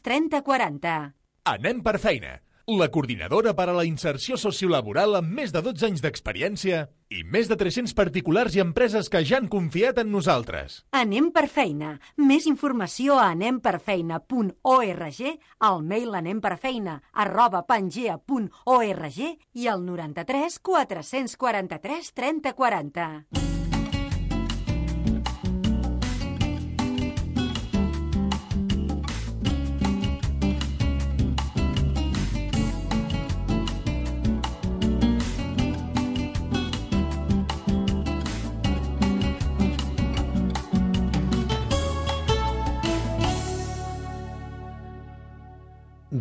3040. Anem per feina, la coordinadora per a la inserció sociolaboral amb més de 12 anys d'experiència i més de 300 particulars i empreses que ja han confiat en nosaltres. Anem per feina. Més informació a anemperfeina.org, al mail anemperfeina@pangea.org i al 93 443 3040.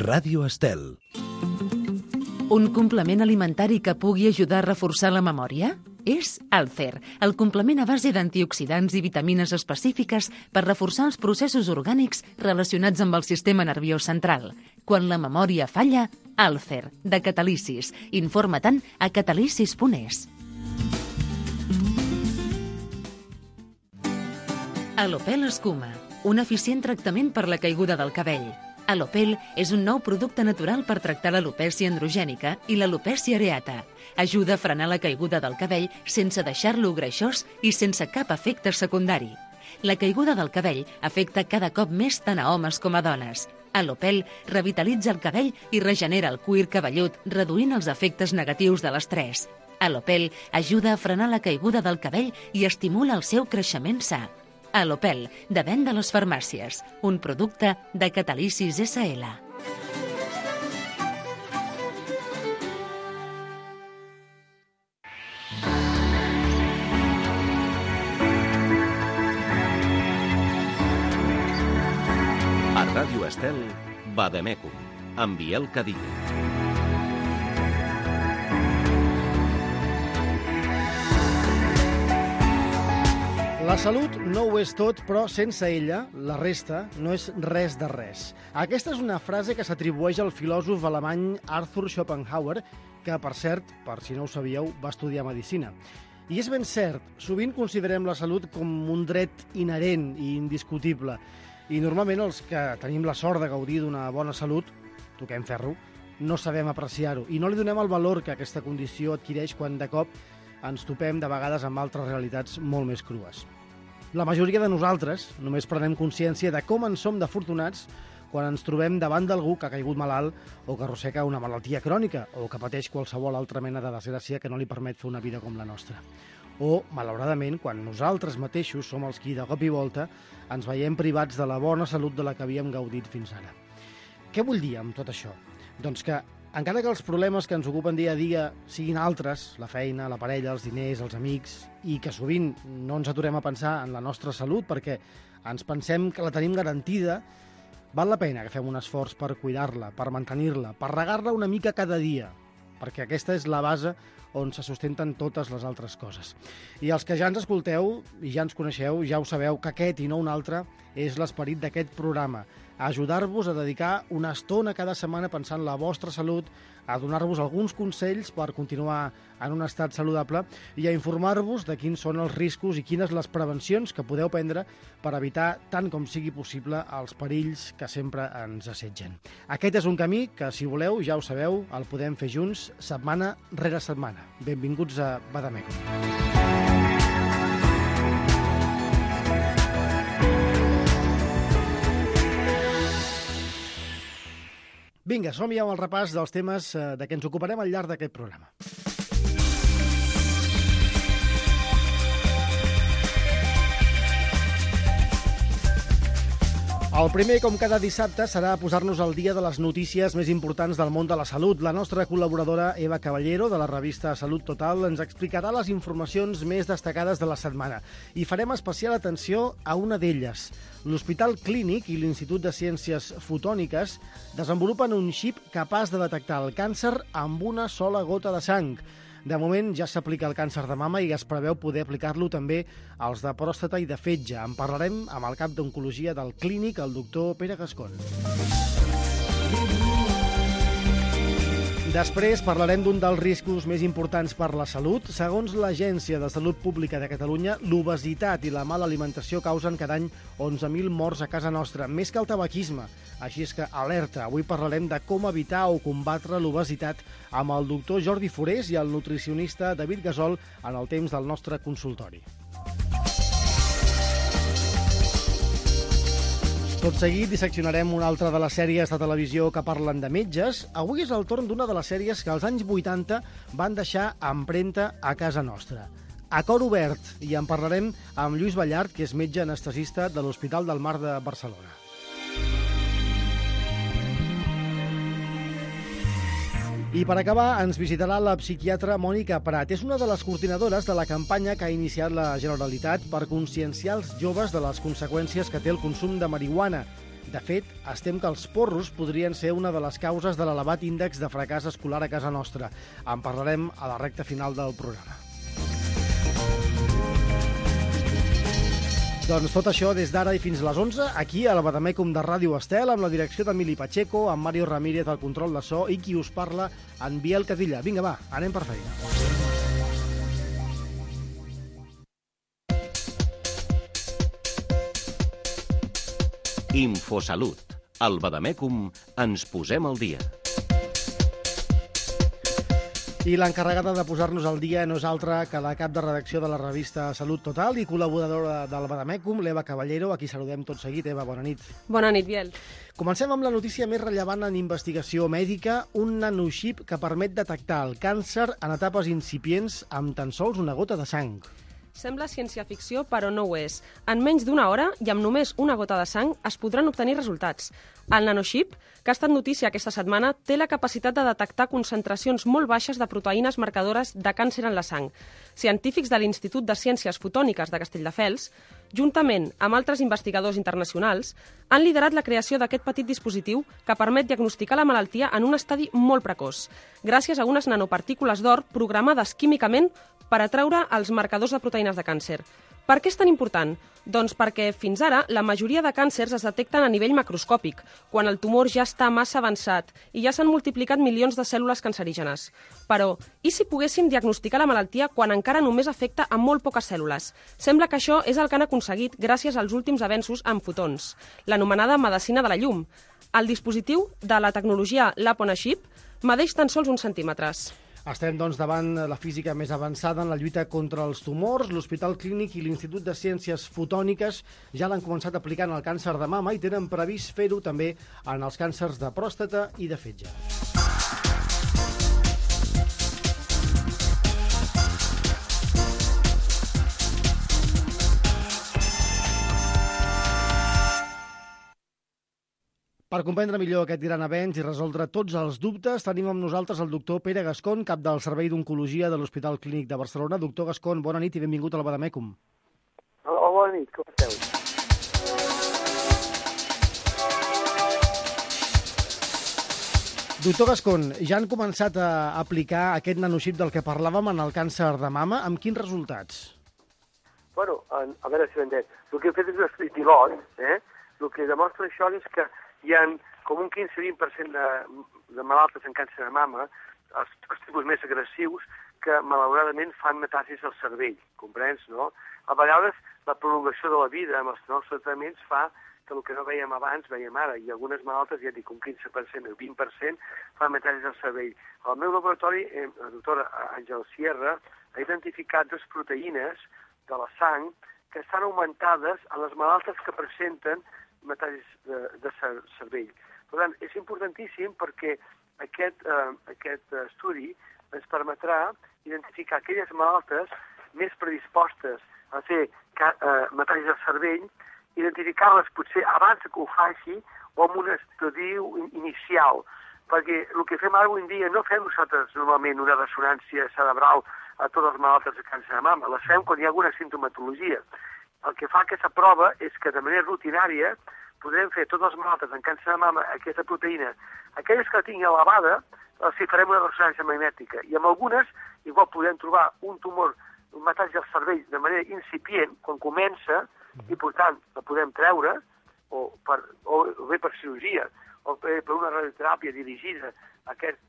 Ràdio Estel. Un complement alimentari que pugui ajudar a reforçar la memòria? És Alcer, el complement a base d'antioxidants i vitamines específiques per reforçar els processos orgànics relacionats amb el sistema nerviós central. Quan la memòria falla, Alcer, de Catalysis. Informa-te'n a catalysis.es. Alopel Escuma, un eficient tractament per la caiguda del cabell. Alopel és un nou producte natural per tractar l'alopècia androgènica i l'alopècia areata. Ajuda a frenar la caiguda del cabell sense deixar-lo greixós i sense cap efecte secundari. La caiguda del cabell afecta cada cop més tant a homes com a dones. Alopel revitalitza el cabell i regenera el cuir cabellut, reduint els efectes negatius de l'estrès. Alopel ajuda a frenar la caiguda del cabell i estimula el seu creixement sa. Alopel, de venda a les farmàcies, un producte de Catalysis SL. A Ràdio Estel, Vademecum, amb Biel Cadillo. La salut no ho és tot, però sense ella, la resta no és res de res. Aquesta és una frase que s'atribueix al filòsof alemany Arthur Schopenhauer, que, per cert, per si no ho sabíeu, va estudiar medicina. I és ben cert, sovint considerem la salut com un dret inherent i indiscutible. I normalment els que tenim la sort de gaudir d'una bona salut, toquem ferro, no sabem apreciar-ho i no li donem el valor que aquesta condició adquireix quan de cop ens topem de vegades amb altres realitats molt més crues. La majoria de nosaltres només prenem consciència de com en som d'afortunats quan ens trobem davant d'algú que ha caigut malalt o que arrossega una malaltia crònica o que pateix qualsevol altra mena de desgràcia que no li permet fer una vida com la nostra. O, malauradament, quan nosaltres mateixos som els qui de cop i volta ens veiem privats de la bona salut de la que havíem gaudit fins ara. Què vull dir amb tot això? Doncs que, encara que els problemes que ens ocupen dia a dia siguin altres, la feina, la parella, els diners, els amics, i que sovint no ens aturem a pensar en la nostra salut perquè ens pensem que la tenim garantida, val la pena que fem un esforç per cuidar-la, per mantenir-la, per regar-la una mica cada dia, perquè aquesta és la base on se sustenten totes les altres coses. I els que ja ens escolteu i ja ens coneixeu, ja ho sabeu que aquest i no un altre és l'esperit d'aquest programa, a ajudar-vos a dedicar una estona cada setmana pensant en la vostra salut, a donar-vos alguns consells per continuar en un estat saludable i a informar-vos de quins són els riscos i quines les prevencions que podeu prendre per evitar, tant com sigui possible, els perills que sempre ens assetgen. Aquest és un camí que, si voleu, ja ho sabeu, el podem fer junts setmana rere setmana. Benvinguts a Vademecum. Vinga, som ja amb el repàs dels temes de què ens ocuparem al llarg d'aquest programa. El primer, com cada dissabte, serà posar-nos al dia de les notícies més importants del món de la salut. La nostra col·laboradora Eva Caballero, de la revista Salut Total, ens explicarà les informacions més destacades de la setmana. I farem especial atenció a una d'elles. L'Hospital Clínic i l'Institut de Ciències Fotòniques desenvolupen un xip capaç de detectar el càncer amb una sola gota de sang. De moment ja s'aplica el càncer de mama i es preveu poder aplicar-lo també als de pròstata i de fetge. En parlarem amb el cap d'Oncologia del Clínic, el doctor Pere Gascon. Després parlarem d'un dels riscos més importants per la salut. Segons l'Agència de Salut Pública de Catalunya, l'obesitat i la mala alimentació causen cada any 11.000 morts a casa nostra, més que el tabaquisme. Així és que, alerta, avui parlarem de com evitar o combatre l'obesitat amb el doctor Jordi Forés i el nutricionista David Gasol en el temps del nostre consultori. Tot seguit disseccionarem una altra de les sèries de televisió que parlen de metges. Avui és el torn d'una de les sèries que als anys 80 van deixar empremta a casa nostra. A cor obert, i en parlarem amb Lluís Ballart, que és metge anestesista de l'Hospital del Mar de Barcelona. I per acabar ens visitarà la psiquiatra Mònica Prat. És una de les coordinadores de la campanya que ha iniciat la Generalitat per conscienciar els joves de les conseqüències que té el consum de marihuana. De fet, estem que els porros podrien ser una de les causes de l'elevat índex de fracàs escolar a casa nostra. En parlarem a la recta final del programa. Doncs tot això des d'ara i fins a les 11, aquí a la Bademecum de Ràdio Estel, amb la direcció d'Emili Pacheco, amb Mario Ramírez al control de so i qui us parla, en Biel Cadilla. Vinga, va, anem per feina. Infosalut. Al Bademecum ens posem al dia. I l'encarregada de posar-nos al dia no és altra que la cap de redacció de la revista Salut Total i col·laboradora del Bademecum, l'Eva Caballero, a qui saludem tot seguit. Eva, bona nit. Bona nit, Biel. Comencem amb la notícia més rellevant en investigació mèdica, un nanoxip que permet detectar el càncer en etapes incipients amb tan sols una gota de sang. Sembla ciència-ficció, però no ho és. En menys d'una hora i amb només una gota de sang es podran obtenir resultats. El nanoxip, que ha estat notícia aquesta setmana, té la capacitat de detectar concentracions molt baixes de proteïnes marcadores de càncer en la sang. Científics de l'Institut de Ciències Fotòniques de Castelldefels, juntament amb altres investigadors internacionals, han liderat la creació d'aquest petit dispositiu que permet diagnosticar la malaltia en un estadi molt precoç, gràcies a unes nanopartícules d'or programades químicament per atraure els marcadors de proteïnes de càncer. Per què és tan important? Doncs perquè, fins ara, la majoria de càncers es detecten a nivell macroscòpic, quan el tumor ja està massa avançat i ja s'han multiplicat milions de cèl·lules cancerígenes. Però, i si poguéssim diagnosticar la malaltia quan encara només afecta a molt poques cèl·lules? Sembla que això és el que han aconseguit gràcies als últims avenços en fotons, l'anomenada medicina de la llum. El dispositiu de la tecnologia Lab-on-a-Chip medeix tan sols uns centímetres. Estem, doncs, davant la física més avançada en la lluita contra els tumors. L'Hospital Clínic i l'Institut de Ciències Fotòniques ja l'han començat aplicant al càncer de mama i tenen previst fer-ho també en els càncers de pròstata i de fetge. Per comprendre millor aquest gran avenç i resoldre tots els dubtes, tenim amb nosaltres el doctor Pere Gascon, cap del Servei d'Oncologia de l'Hospital Clínic de Barcelona. Doctor Gascon, bona nit i benvingut a la Bademecum. Hola, bona nit, com esteu? Doctor Gascon, ja han començat a aplicar aquest nanoxip del que parlàvem en el càncer de mama. Amb quins resultats? Bueno, a veure si ho entenc. El que hem fet és un estudi pilot, El que demostra això és que hi ha com un 15-20% de malaltes en càncer de mama, els tipus més agressius, que malauradament fan metàstasis al cervell, comprens, no? A vegades la prolongació de la vida amb els nous tractaments fa que el que no veiem abans veiem ara, i algunes malaltes, ja dic, un 15% o 20% fan metàstasis al cervell. Al meu laboratori, la doctora Àngel Sierra ha identificat 2 proteïnes de la sang que estan augmentades a les malaltes que presenten metàstasis de cervell. Per tant, és importantíssim perquè aquest estudi ens permetrà identificar aquelles malaltes més predispostes a fer metàstasis al cervell, identificar-les potser abans que ho faci o amb un estudi inicial, perquè el que fem ara avui en dia no fem nosaltres normalment una ressonància cerebral a totes les malaltes de càncer de mama, les fem quan hi ha alguna simptomatologia. El que fa aquesta prova és que de manera rutinària podrem fer totes les malaltes en càncer de mama aquesta proteïna. Aquelles que la tinguin elevada, els farem una ressonància magnètica. I amb algunes, igual podem trobar un tumor, un metàstasi al cervell de manera incipient, quan comença, i per tant la podem treure, o bé per cirurgia, o per una radioteràpia dirigida a aquest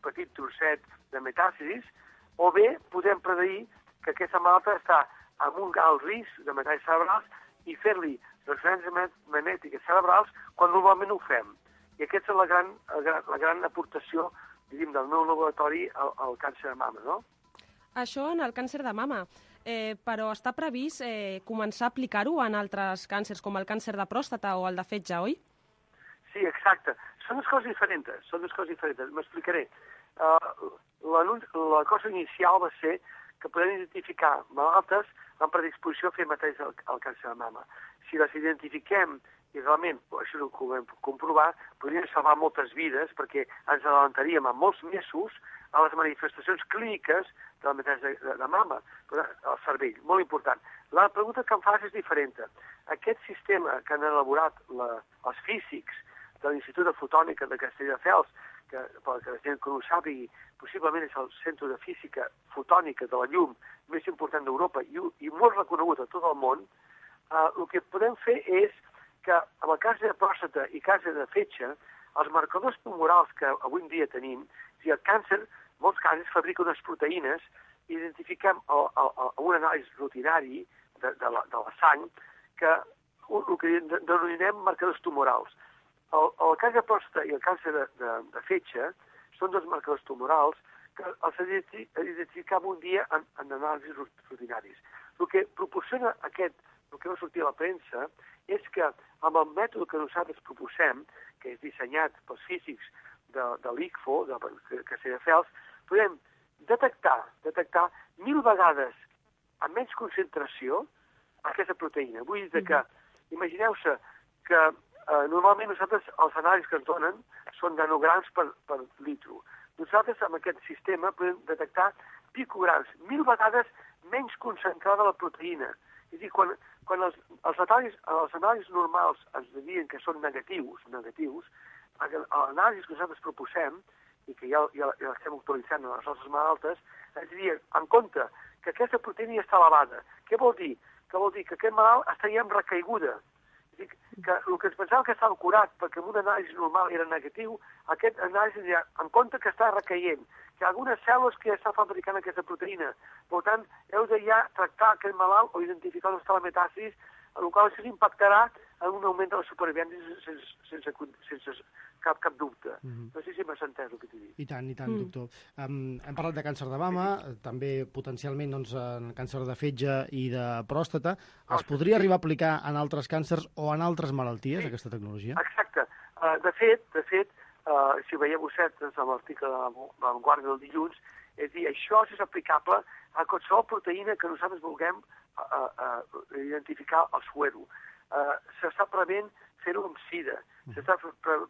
petit trosset de metàstasis, o bé podem predir que aquesta malalta està amb un alt risc de metàstasis cerebrals i fer-li transferències magnètiques cerebrals quan normalment ho fem. I aquesta és la gran aportació, diríem, del meu laboratori al càncer de mama, no? Això en el càncer de mama, però està previst començar a aplicar-ho en altres càncers, com el càncer de pròstata o el de fetge, oi? Sí, exacte. Són dues coses diferents. M'explicaré. La cosa inicial va ser que podem identificar malaltes amb predisposició a fer mateix al càncer de mama. Si les identifiquem i realment, això ho podem comprovar, podríem salvar moltes vides perquè ens adelantaríem a molts mesos a les manifestacions clíniques de la metàstasi de mama, al cervell, molt important. La pregunta que em fas és diferent. Aquest sistema que han elaborat els físics de l'Institut de Fotònica de Castelldefels, que per la gent que no ho sàpigui, possiblement és el centre de física fotònica de la llum més important d'Europa i molt reconegut a tot el món, el que podem fer és que en el cas de pròstata i cas de fetge, els marcadors tumorals que avui en dia tenim, si el càncer, molts càncers fabriquen unes proteïnes i identifiquem amb un anàlisi rutinari de la sang que el que denominem marcadors tumorals. El càncer de pròstata i el càncer de fetge són dos marcadors tumorals que els identificam un dia en anàlisis rutinaris. El que proporciona el que va sortir a la premsa és que amb el mètode que nosaltres proposem, que és dissenyat pels físics de l'ICFO, de Castelldefels, podem detectar 1000 vegades amb menys concentració aquesta proteïna. Vull dir que, imagineu-se que normalment nosaltres els anàlisis que ens donen són nanograms per litro. Nosaltres amb aquest sistema podem detectar picograms, 1000 vegades menys concentrada la proteïna. És a dir, quan els anàlisis normals ens diuen que són negatius, l'anàlisi que nosaltres proposem, i que ja l'estem actualitzant en les nostres malaltes, ens diuen, en compte, que aquesta proteïna ja està elevada. Què vol dir? Que vol dir que aquest malalt estaria en recaiguda. És a dir, que el que ens pensàvem que estava curat perquè en un anàlisi normal era negatiu, aquest anàlisi ja, en compte que està recaient, que hi ha algunes cèl·lules que ja estan fabricant aquesta proteïna. Per tant, heu de ja tractar aquest malalt o identificar on està la metàstasis, en el qual això impactarà en un augment de la supervivència sense cap dubte. No sé si m'has entès el que t'he dit. I tant, doctor. Hem parlat de càncer de mama, també potencialment en càncer de fetge i de pròstata. Es podria arribar a aplicar en altres càncers o en altres malalties, aquesta tecnologia? Exacte. De fet, si ho veieu vosaltres en l'article de la Vanguardia del dilluns, és dir, això és aplicable a qualsevol proteïna que nosaltres vulguem identificar al suero. S'està prevent fer-ho amb sida, s'està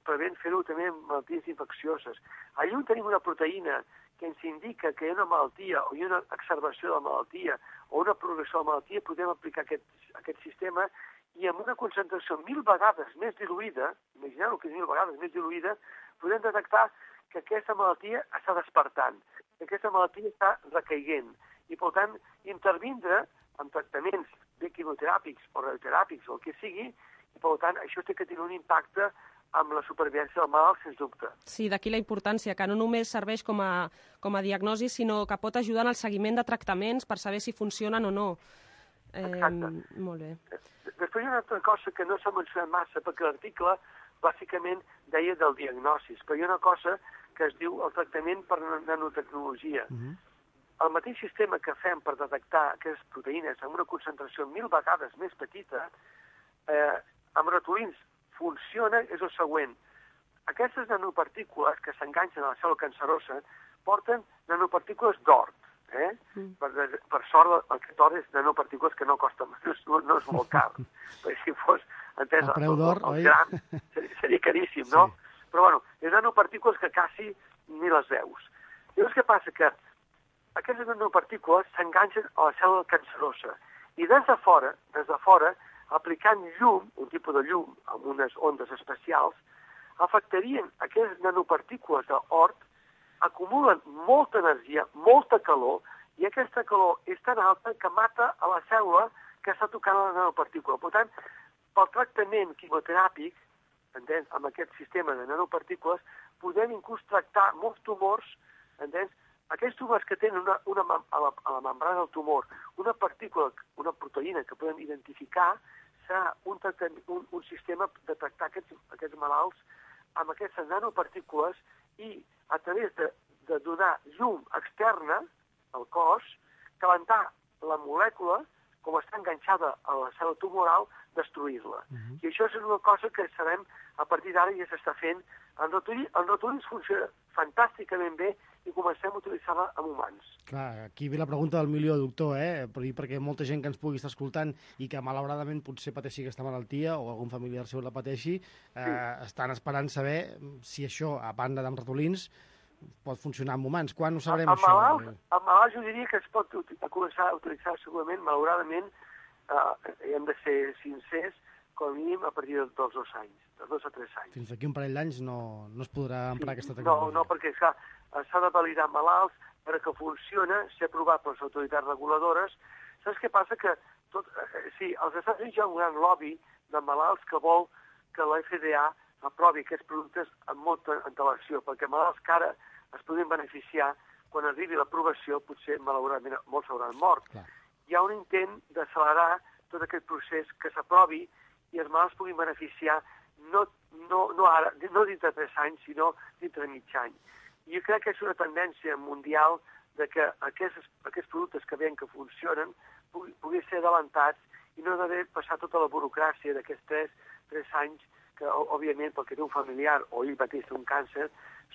prevent fer-ho també amb malalties infeccioses. Allà on tenim una proteïna que ens indica que hi ha una malaltia o hi ha una exacerbació de la malaltia o una progressió de la malaltia, podem aplicar aquest sistema i amb una concentració 1000 vegades més diluïda, imagineu que és 1000 vegades més diluïda, podem detectar que aquesta malaltia està despertant, que aquesta malaltia està recaiguent i, per tant, intervindre en tractaments de quimioteràpics o radioteràpics o el que sigui, i, per tant, això té que tenir un impacte amb la supervivència del malalt, sens dubte. Sí, d'aquí la importància, que no només serveix com a diagnosi, sinó que pot ajudar en el seguiment de tractaments per saber si funcionen o no. Exacte. Molt bé. Després hi ha una altra cosa que no s'ha mencionat massa, perquè l'article bàsicament deia del diagnosis, però hi ha una cosa que es diu el tractament per nanotecnologia. El mateix sistema que fem per detectar aquestes proteïnes amb una concentració 1000 vegades més petita, amb ratolins funciona, és el següent. Aquestes nanopartícules que s'enganxen a la cèl·lula cancerosa porten nanopartícules d'or. Per sort, aquest or és nanopartícules que no costa, no és molt car. Perquè si fos, entès, el preu d'or, oi? Gran, seria caríssim, no? Però, bueno, és nanopartícules que quasi ni les veus. Llavors, què passa? Que aquestes nanopartícules s'enganxen a la cèl·lula cancerosa i des de fora, aplicant llum, un tipus de llum amb unes ondes especials, afectarien aquestes nanopartícules d'or, acumulen molta energia, molta calor, i aquesta calor és tan alta que mata a la cèl·lula que està tocant la nanopartícula. Per tant, pel tractament quimioteràpic, entens? Amb aquest sistema de nanopartícules podem inclús tractar molts tumors, entens? Aquests tumors que tenen a la membrana del tumor una partícula, una proteïna que podem identificar, serà un sistema de tractar aquests malalts amb aquestes nanopartícules i a través de donar llum externa al cos, calentar la molècula, com està enganxada a la cel·la tumoral, destruir-la. I això és una cosa que sabem, a partir d'ara ja s'està fent. El ratolins funciona fantàsticament bé i comencem a utilitzar-la amb humans. Clar, aquí ve la pregunta del milió, doctor, perquè molta gent que ens pugui estar escoltant i que malauradament potser pateixi aquesta malaltia o algun familiar seu la pateixi, estan esperant saber si això, a banda d'amb ratolins, pot funcionar amb humans. Quan ho sabrem, això? Amb malalts jo diria que es pot començar a utilitzar segurament, malauradament, hem de ser sincers, com a mínim a partir dels 2 anys, dels 2 a 3 anys. Fins aquí un parell d'anys no es podrà emprar aquesta tecnologia. No, perquè s'ha de validar malalts perquè funciona, ser aprovat per les autoritats reguladores. Saps què passa? Que els Estats Units hi ha un gran lobby de malalts que vol que la FDA aprovi aquests productes amb molta antelació, perquè malalts que ara es podrien beneficiar, quan arribi l'aprovació, potser, malauradament, molts s'hauran mort. Clar. Hi ha un intent d'accelerar tot aquest procés que s'aprovi i els malalts puguin beneficiar no ara, no dintre de 3 anys, sinó dintre de mig any. I jo crec que és una tendència mundial de que aquests productes que veiem que funcionen puguin ser adelantats i no d'haver passat tota la burocràcia d'aquests 3 anys que, òbviament, pel que té un familiar o ell mateix té un càncer,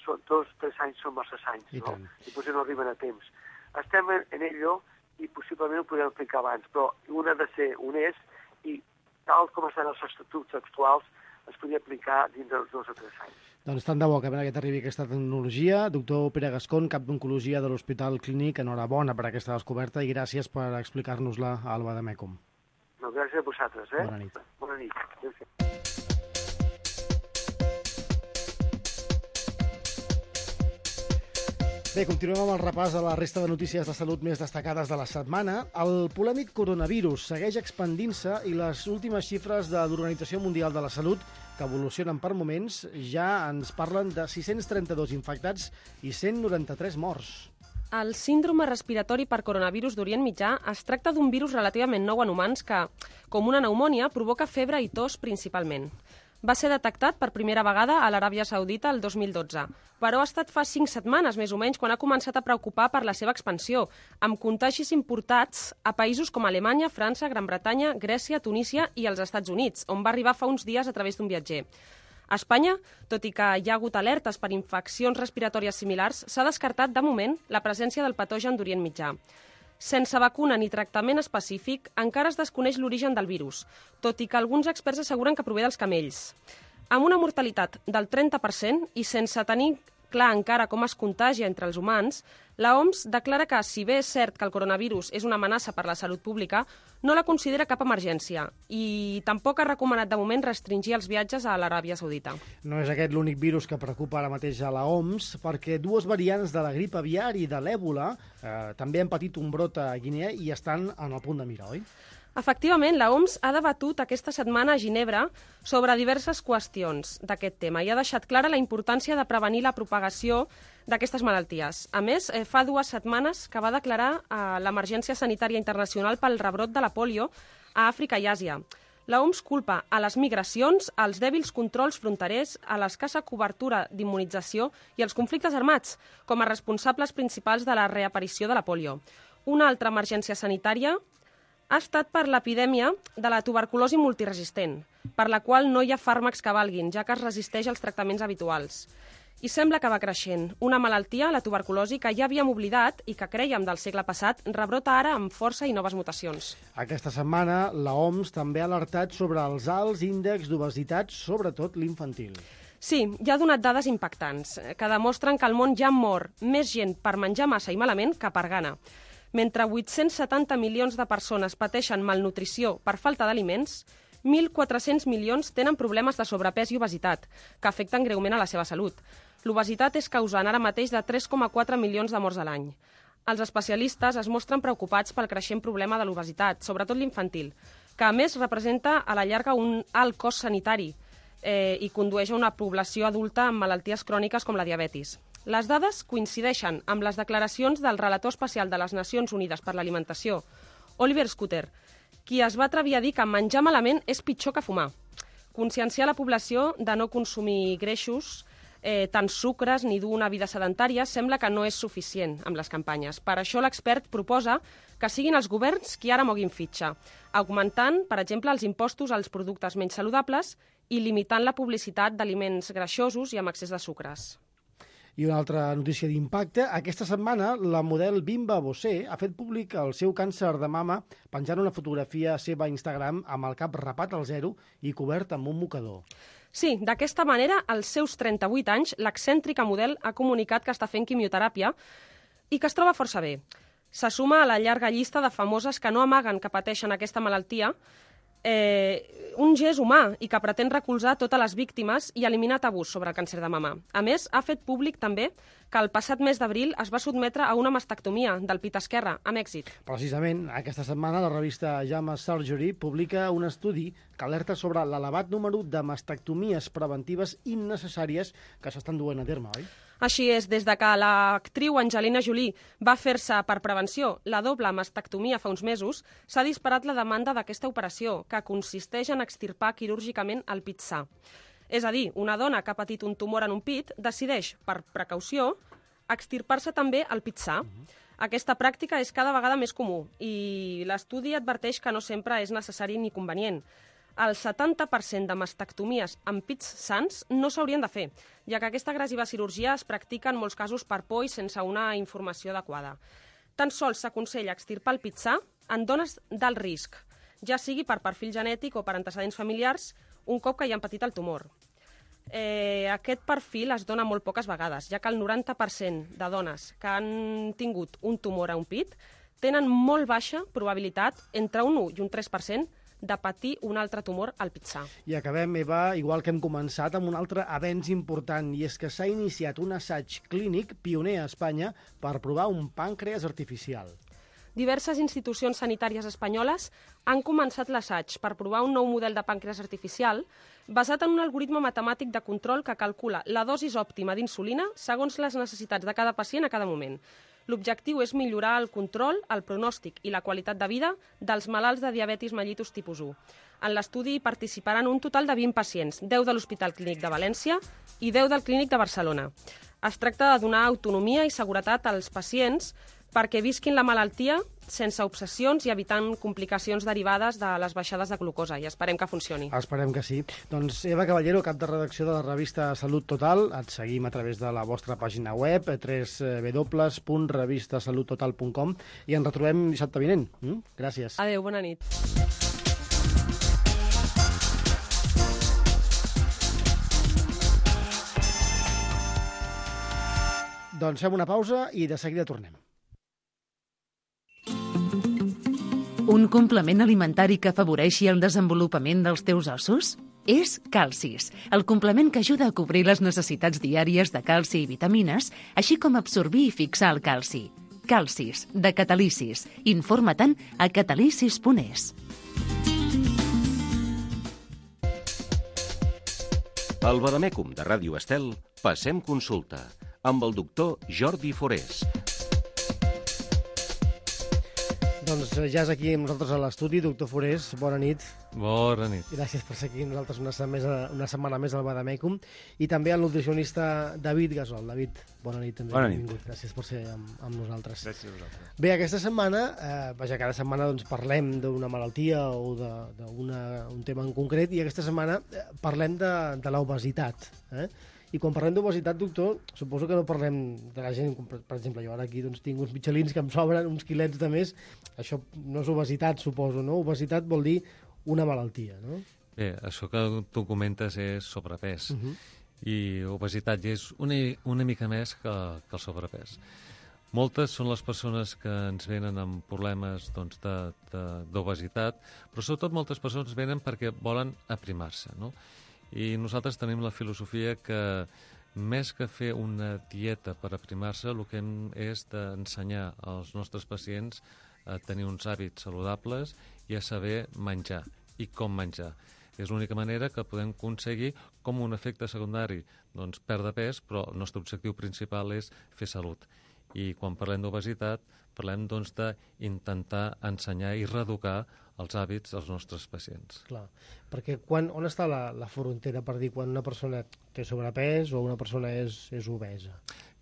2-3 anys són massa anys, no? I potser no arriben a temps. Estem en ello i possiblement ho podem aplicar abans, però un ha de ser honest i tal com estan els estatuts actuals es podria aplicar dins dels 2 o 3 anys. Doncs tant de bo que ben aviat arribi aquesta tecnologia. Doctor Pere Gascón, cap d'Oncologia de l'Hospital Clínic, enhorabona per aquesta descoberta i gràcies per explicar-nos-la a Alba de Mècum. No, gràcies a vosaltres. Bona nit. Bona nit. Gràcies. Bé, continuem amb el repàs de la resta de notícies de salut més destacades de la setmana. El polèmic coronavirus segueix expandint-se i les últimes xifres de l'Organització Mundial de la Salut, que evolucionen per moments, ja ens parlen de 632 infectats i 193 morts. El síndrome respiratori per coronavirus d'Orient Mitjà es tracta d'un virus relativament nou en humans que, com una pneumònia, provoca febre i tos principalment. Va ser detectat per primera vegada a l'Aràbia Saudita el 2012, però ha estat fa 5 setmanes, més o menys, quan ha començat a preocupar per la seva expansió, amb contagis importats a països com Alemanya, França, Gran Bretanya, Grècia, Tunísia i els Estats Units, on va arribar fa uns dies a través d'un viatger. A Espanya, tot i que hi ha hagut alertes per infeccions respiratòries similars, s'ha descartat, de moment, la presència del patogen d'Orient Mitjà. Sense vacuna ni tractament específic, encara es desconeix l'origen del virus, tot i que alguns experts asseguren que prové dels camells. Amb una mortalitat del 30% i sense tenir clar encara com es contagia entre els humans, la OMS declara que, si bé és cert que el coronavirus és una amenaça per la salut pública, no la considera cap emergència i tampoc ha recomanat de moment restringir els viatges a l'Aràbia Saudita. No és aquest l'únic virus que preocupa ara mateix a la OMS, perquè 2 variants de la grip aviar i de l'èbola també han patit un brot a Guinea i estan en el punt de mira, oi? Efectivament, la OMS ha debatut aquesta setmana a Ginebra sobre diverses qüestions d'aquest tema i ha deixat clara la importància de prevenir la propagació d'aquestes malalties. A més, fa 2 setmanes que va declarar l'emergència sanitària internacional pel rebrot de la pòlio a Àfrica i Àsia. La OMS culpa a les migracions, als dèbils controls fronterers, a l'escassa cobertura d'immunització i als conflictes armats com a responsables principals de la reaparició de la pòlio. Una altra emergència sanitària ha estat per l'epidèmia de la tuberculosi multiresistent, per la qual no hi ha fàrmacs que valguin, ja que es resisteix als tractaments habituals. I sembla que va creixent. Una malaltia, la tuberculosi, que ja havíem oblidat i que crèiem del segle passat, rebrota ara amb força i noves mutacions. Aquesta setmana, la OMS també ha alertat sobre els alts índexs d'obesitat, sobretot l'infantil. Sí, ja ha donat dades impactants, que demostren que al món ja mor més gent per menjar massa i malament que per gana. Mentre 870 milions de persones pateixen malnutrició per falta d'aliments, 1.400 milions tenen problemes de sobrepès i obesitat, que afecten greument a la seva salut. L'obesitat és causant ara mateix de 3,4 milions de morts a l'any. Els especialistes es mostren preocupats pel creixent problema de l'obesitat, sobretot l'infantil, que a més representa a la llarga un alt cost sanitari, i condueix a una població adulta amb malalties cròniques com la diabetis. Les dades coincideixen amb les declaracions del relator especial de les Nacions Unides per l'Alimentació, Oliver Schutter, qui es va atrevir a dir que menjar malament és pitjor que fumar. Conscienciar la població de no consumir greixos, tant sucres ni dur una vida sedentària sembla que no és suficient amb les campanyes. Per això l'expert proposa que siguin els governs qui ara moguin fitxa, augmentant, per exemple, els impostos als productes menys saludables i limitant la publicitat d'aliments greixosos i amb excés de sucres. I una altra notícia d'impacte. Aquesta setmana, la model Bimba Bosé ha fet públic el seu càncer de mama penjant una fotografia seva a Instagram amb el cap rapat al zero i cobert amb un mocador. Sí, d'aquesta manera, als seus 38 anys, l'excèntrica model ha comunicat que està fent quimioteràpia i que es troba força bé. Se suma a la llarga llista de famoses que no amaguen que pateixen aquesta malaltia, un gest humà i que pretén recolzar totes les víctimes i eliminar tabús sobre el càncer de mama. A més, ha fet públic també que el passat mes d'abril es va sotmetre a una mastectomia del pit esquerre, amb èxit. Precisament, aquesta setmana la revista JAMA Surgery publica un estudi que alerta sobre l'elevat número de mastectomies preventives innecessàries que s'estan duent a terme, oi? Així és, des de que l'actriu Angelina Jolie va fer-se per prevenció la doble mastectomia fa uns mesos, s'ha disparat la demanda d'aquesta operació, que consisteix en extirpar quirúrgicament el pit sa. És a dir, una dona que ha patit un tumor en un pit decideix, per precaució, extirpar-se també el pit sa. Aquesta pràctica és cada vegada més comú i l'estudi adverteix que no sempre és necessari ni convenient. El 70% de mastectomies amb pits sans no s'haurien de fer, ja que aquesta agressiva cirurgia es practica en molts casos per por i sense una informació adequada. Tan sols s'aconsella extirpar el pit sa en dones d'alt risc, ja sigui per perfil genètic o per antecedents familiars, un cop que hi han patit el tumor. Aquest perfil es dona molt poques vegades, ja que el 90% de dones que han tingut un tumor a un pit tenen molt baixa probabilitat, entre un 1 i un 3%, de patir un altre tumor al pit sa. I acabem, Eva, igual que hem començat, amb un altre avenç important, i és que s'ha iniciat un assaig clínic pioner a Espanya per provar un pàncreas artificial. Diverses institucions sanitàries espanyoles han començat l'assaig per provar un nou model de pàncreas artificial basat en un algoritme matemàtic de control que calcula la dosis òptima d'insulina segons les necessitats de cada pacient a cada moment. L'objectiu és millorar el control, el pronòstic i la qualitat de vida dels malalts de diabetis mellitus tipus 1. En l'estudi participaran un total de 20 pacients, 10 de l'Hospital Clínic de València i 10 del Clínic de Barcelona. Es tracta de donar autonomia i seguretat als pacients perquè visquin la malaltia sense obsessions i evitant complicacions derivades de les baixades de glucosa, i esperem que funcioni. Esperem que sí. Doncs Eva Caballero, cap de redacció de la revista Salut Total, et seguim a través de la vostra pàgina web, www.revistasaluttotal.com, i ens retrobem dissabte vinent. Gràcies. Adéu, bona nit. Doncs fem una pausa i de seguida tornem. Un complement alimentari que afavoreixi el desenvolupament dels teus ossos? És Calcis, el complement que ajuda a cobrir les necessitats diàries de calci i vitamines, així com absorbir i fixar el calci. Calcis, de Catalicis. Informa-te'n a catalicis.es. Al Vademècum de Ràdio Estel, passem consulta amb el doctor Jordi Forés. Doncs ja és aquí amb nosaltres a l'estudi. Doctor Forés, bona nit. Bona nit. Gràcies per ser aquí amb nosaltres una setmana més al Vademècum. I també al nutricionista David Gasol. David, bona nit també. Bona nit. Benvingut. Gràcies per ser amb nosaltres. Gràcies a vosaltres. Bé, aquesta setmana, cada setmana doncs, parlem d'una malaltia o d'un tema en concret, i aquesta setmana parlem de l'obesitat. I quan parlem d'obesitat, doctor, suposo que no parlem de la gent, per exemple, jo ara aquí doncs, tinc uns mitjalins que em sobren, uns quilets de més. Això no és obesitat, suposo, no? Obesitat vol dir una malaltia, no? Bé, això que tu comentes és sobrepès. I obesitat ja és una mica més que el sobrepès. Moltes són les persones que ens venen amb problemes d'obesitat, però sobretot moltes persones venen perquè volen aprimar-se, no? I nosaltres tenim la filosofia que més que fer una dieta per aprimar-se, el que hem és d'ensenyar als nostres pacients a tenir uns hàbits saludables i a saber menjar i com menjar. És l'única manera que podem aconseguir com un efecte secundari doncs, perdre pes, però el nostre objectiu principal és fer salut. I quan parlem d'obesitat, parlem doncs, d'intentar ensenyar i reeducar els hàbits dels nostres pacients. Clar, perquè on està la frontera per dir quan una persona té sobrepès o una persona és obesa?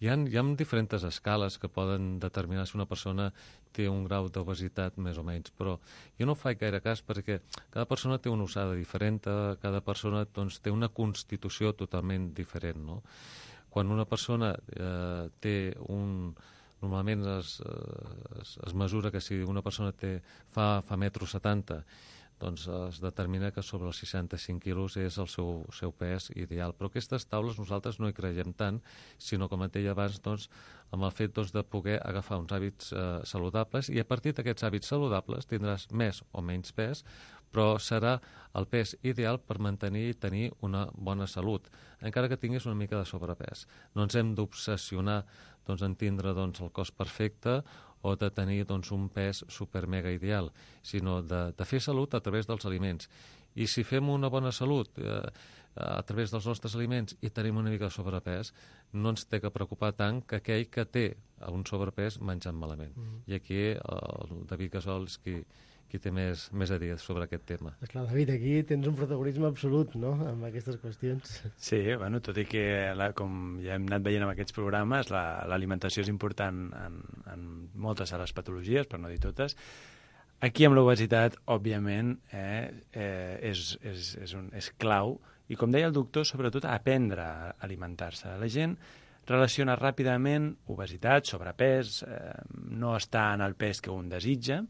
Hi ha diferents escales que poden determinar si una persona té un grau d'obesitat més o menys, però jo no faig gaire cas perquè cada persona té una usada diferent, cada persona doncs, té una constitució totalment diferent, no? Quan una persona té normalment es mesura que si una persona fa 1,70 m, doncs es determina que sobre els 65 quilos és el seu pes ideal. Però aquestes taules nosaltres no hi creiem tant, sinó, com et deia abans, doncs, amb el fet de poder agafar uns hàbits saludables, i a partir d'aquests hàbits saludables tindràs més o menys pes, però serà el pes ideal per mantenir i tenir una bona salut, encara que tinguis una mica de sobrepès. No ens hem d'obsessionar en tindre el cos perfecte o de tenir un pes super-mega ideal, sinó de fer salut a través dels aliments. I si fem una bona salut a través dels nostres aliments i tenim una mica de sobrepès, no ens té que preocupar tant que aquell que té un sobrepès menjant malament. I aquí el David Gasol és qui té més a dir sobre aquest tema. Esclar, David, aquí tens un protagonisme absolut, no?, amb aquestes qüestions. Sí, bueno, tot i que, com ja hem anat veient en aquests programes, l'alimentació és important en moltes de les patologies, per no dir totes. Aquí amb l'obesitat, òbviament, és clau, i com deia el doctor, sobretot aprendre a alimentar-se. La gent relaciona ràpidament obesitat, sobrepès, no estar en el pes que un desitja,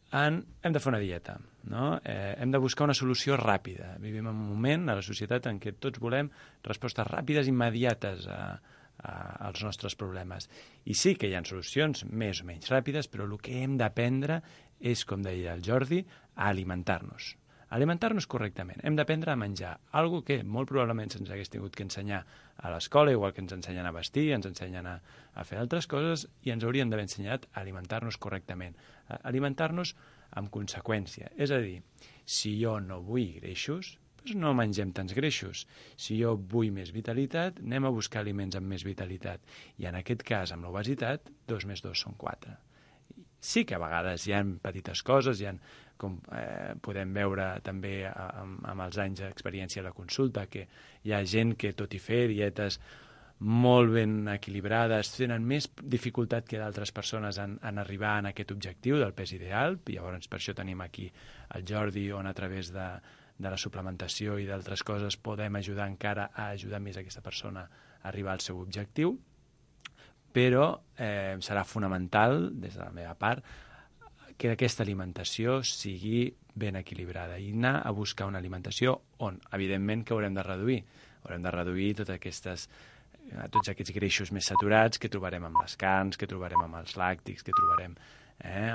hem de fer una dieta, no? Hem de buscar una solució ràpida. Vivim en un moment a la societat en què tots volem respostes ràpides, immediates als nostres problemes. I sí que hi ha solucions més o menys ràpides, però el que hem d'aprendre és, com deia el Jordi, a alimentar-nos. Alimentar-nos correctament. Hem d'aprendre a menjar, algo que molt probablement se'ns hagués tingut que ensenyar a l'escola, igual que ens ensenyen a vestir, ens ensenyen a fer altres coses, i ens haurien d'haver ensenyat a alimentar-nos correctament. Alimentar-nos amb conseqüència. És a dir, si jo no vull greixos, doncs no mengem tants greixos. Si jo vull més vitalitat, anem a buscar aliments amb més vitalitat. I en aquest cas, amb l'obesitat, 2 més 2 són 4. Sí que a vegades hi ha petites coses, com podem veure també amb els anys d'experiència a la consulta, que hi ha gent que, tot i fer dietes molt ben equilibrades, tenen més dificultat que d'altres persones en arribar a aquest objectiu del pes ideal. I llavors per això tenim aquí el Jordi, on a través de la suplementació i d'altres coses podem ajudar encara a ajudar més aquesta persona a arribar al seu objectiu. Però serà fonamental, des de la meva part, que aquesta alimentació sigui ben equilibrada i anar a buscar una alimentació on, evidentment, que haurem de reduir. Haurem de reduir tots aquests greixos més saturats que trobarem amb les carns, que trobarem amb els làctics, que trobarem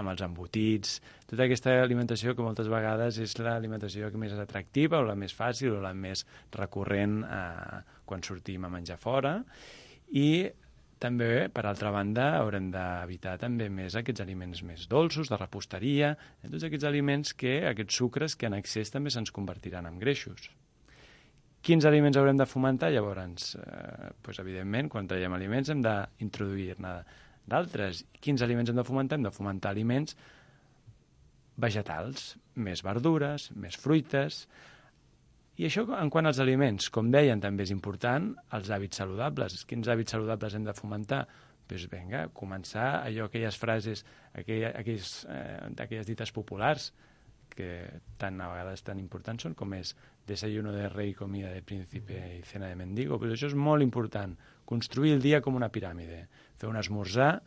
amb els embotits. Tota aquesta alimentació que moltes vegades és l'alimentació que més és atractiva o la més fàcil o la més recurrent quan sortim a menjar fora. I també, per altra banda, haurem d'evitar també més aquests aliments més dolços, de reposteria, tots aquests aliments aquests sucres que en excés també se'ns convertiran en greixos. Quins aliments haurem de fomentar? Llavors, evidentment, quan traiem aliments hem d'introduir-ne d'altres. Quins aliments hem de fomentar? Hem de fomentar aliments vegetals, més verdures, més fruites. I això en quant als aliments, com deien, també és important, els hàbits saludables. Quins hàbits saludables hem de fomentar? Doncs vinga, començar aquelles frases, aquelles dites populars, que a vegades tan importants són, com és desayuno de rei, comida de príncipe i cena de mendigo. Però això és molt important, construir el dia com una piràmide, fer un esmorzar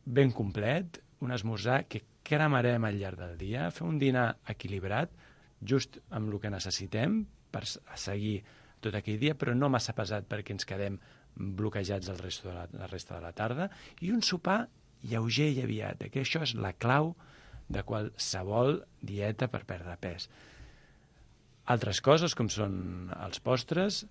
ben complet, un esmorzar que cremarem al llarg del dia, fer un dinar equilibrat, just amb el que necessitem per seguir tot aquell dia, però no massa pesat perquè ens quedem bloquejats la resta de la tarda, i un sopar lleuger i aviat, que això és la clau de qualsevol dieta per perdre pes. Altres coses, com són els postres,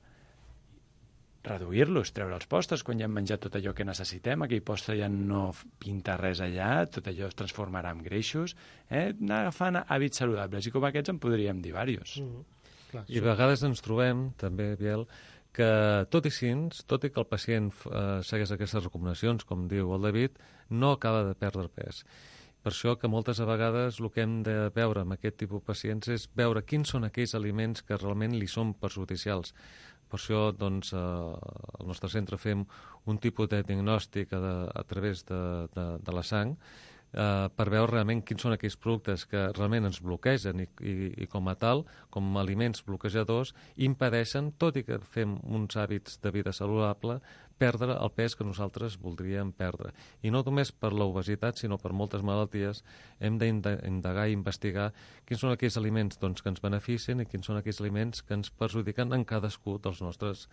reduir-los, treure els postres quan ja hem menjat tot allò que necessitem, aquell postre ja no pinta res allà, tot allò es transformarà en greixos, anar agafant hàbits saludables, i com aquests en podríem dir diversos. Clar, I a vegades ens trobem, també, Biel, que tot i que el pacient segueix aquestes recomanacions, com diu el David, no acaba de perdre pes. Per això que moltes vegades el que hem de veure amb aquest tipus de pacients és veure quins són aquells aliments que realment li són perjudicials. Per això, doncs, al nostre centre fem un tipus de diagnòstic a través de la sang per veure realment quins són aquells productes que realment ens bloquegen i com a tal, com aliments bloquejadors, impedeixen, tot i que fem uns hàbits de vida saludable, perdre el pes que nosaltres voldríem perdre. I no només per l'obesitat, sinó per moltes malalties, hem d'indagar i investigar quins són aquells aliments doncs, que ens beneficien i quins són aquells aliments que ens perjudiquen en cadascú dels nostres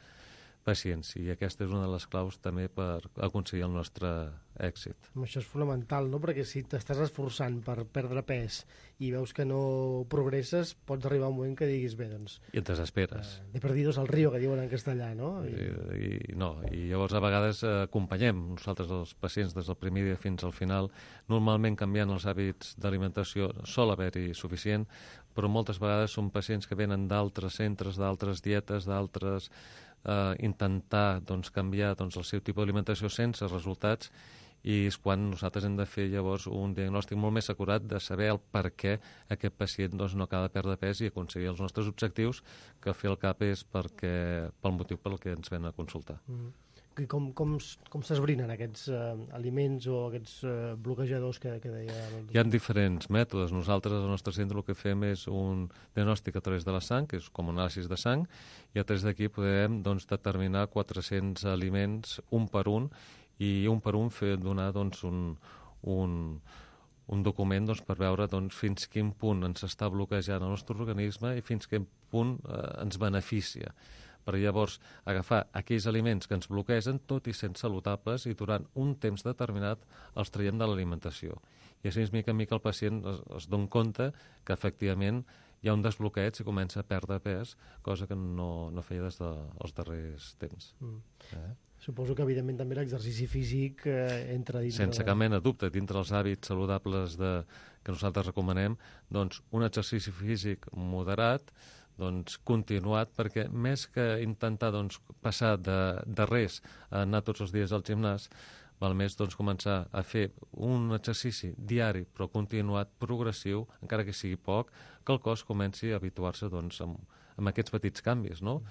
pacients. I aquesta és una de les claus també per aconseguir el nostre èxit. Això és fonamental, no? Perquè si t'estàs esforçant per perdre pes i veus que no progresses, pots arribar a un moment que diguis, bé, doncs... I et desesperes. De perdidos al río, que diuen en castellà, no? I llavors a vegades acompanyem nosaltres els pacients des del primer dia fins al final, normalment canviant els hàbits d'alimentació sol haver-hi suficient, però moltes vegades són pacients que venen d'altres centres, d'altres dietes, d'altres... intentar doncs, canviar doncs, el seu tipus d'alimentació sense resultats, i és quan nosaltres hem de fer llavors un diagnòstic molt més acurat de saber el per què aquest pacient doncs, no acaba de perdre pes i aconseguir els nostres objectius, que al fi al cap és pel motiu pel que ens ven a consultar. I com s'esbrinen aquests aliments o aquests bloquejadors que deia? Hi ha diferents mètodes. Nosaltres, al nostre centre, el que fem és un diagnòstic a través de la sang, que és com un anàlisi de sang, i a través d'aquí podem doncs, determinar 400 aliments un per un, i un per un donar doncs, un document doncs, per veure doncs, fins quin punt ens està bloquejant el nostre organisme i fins quin punt ens beneficia. Per llavors agafar aquells aliments que ens bloquegen, tot i sent saludables, i durant un temps determinat els traiem de l'alimentació. I així, mica en mica, el pacient es dona compte que, efectivament, hi ha un desbloqueig i comença a perdre pes, cosa que no feia des dels darrers temps. Suposo que, evidentment, també l'exercici físic entra dintre... Sense cap mena de dubte, dintre els hàbits saludables que nosaltres recomanem, doncs un exercici físic moderat, doncs, continuat, perquè més que intentar doncs, passar de res a anar tots els dies al gimnàs, val més doncs, començar a fer un exercici diari però continuat, progressiu, encara que sigui poc, que el cos comenci a habituar-se doncs, amb aquests petits canvis, no?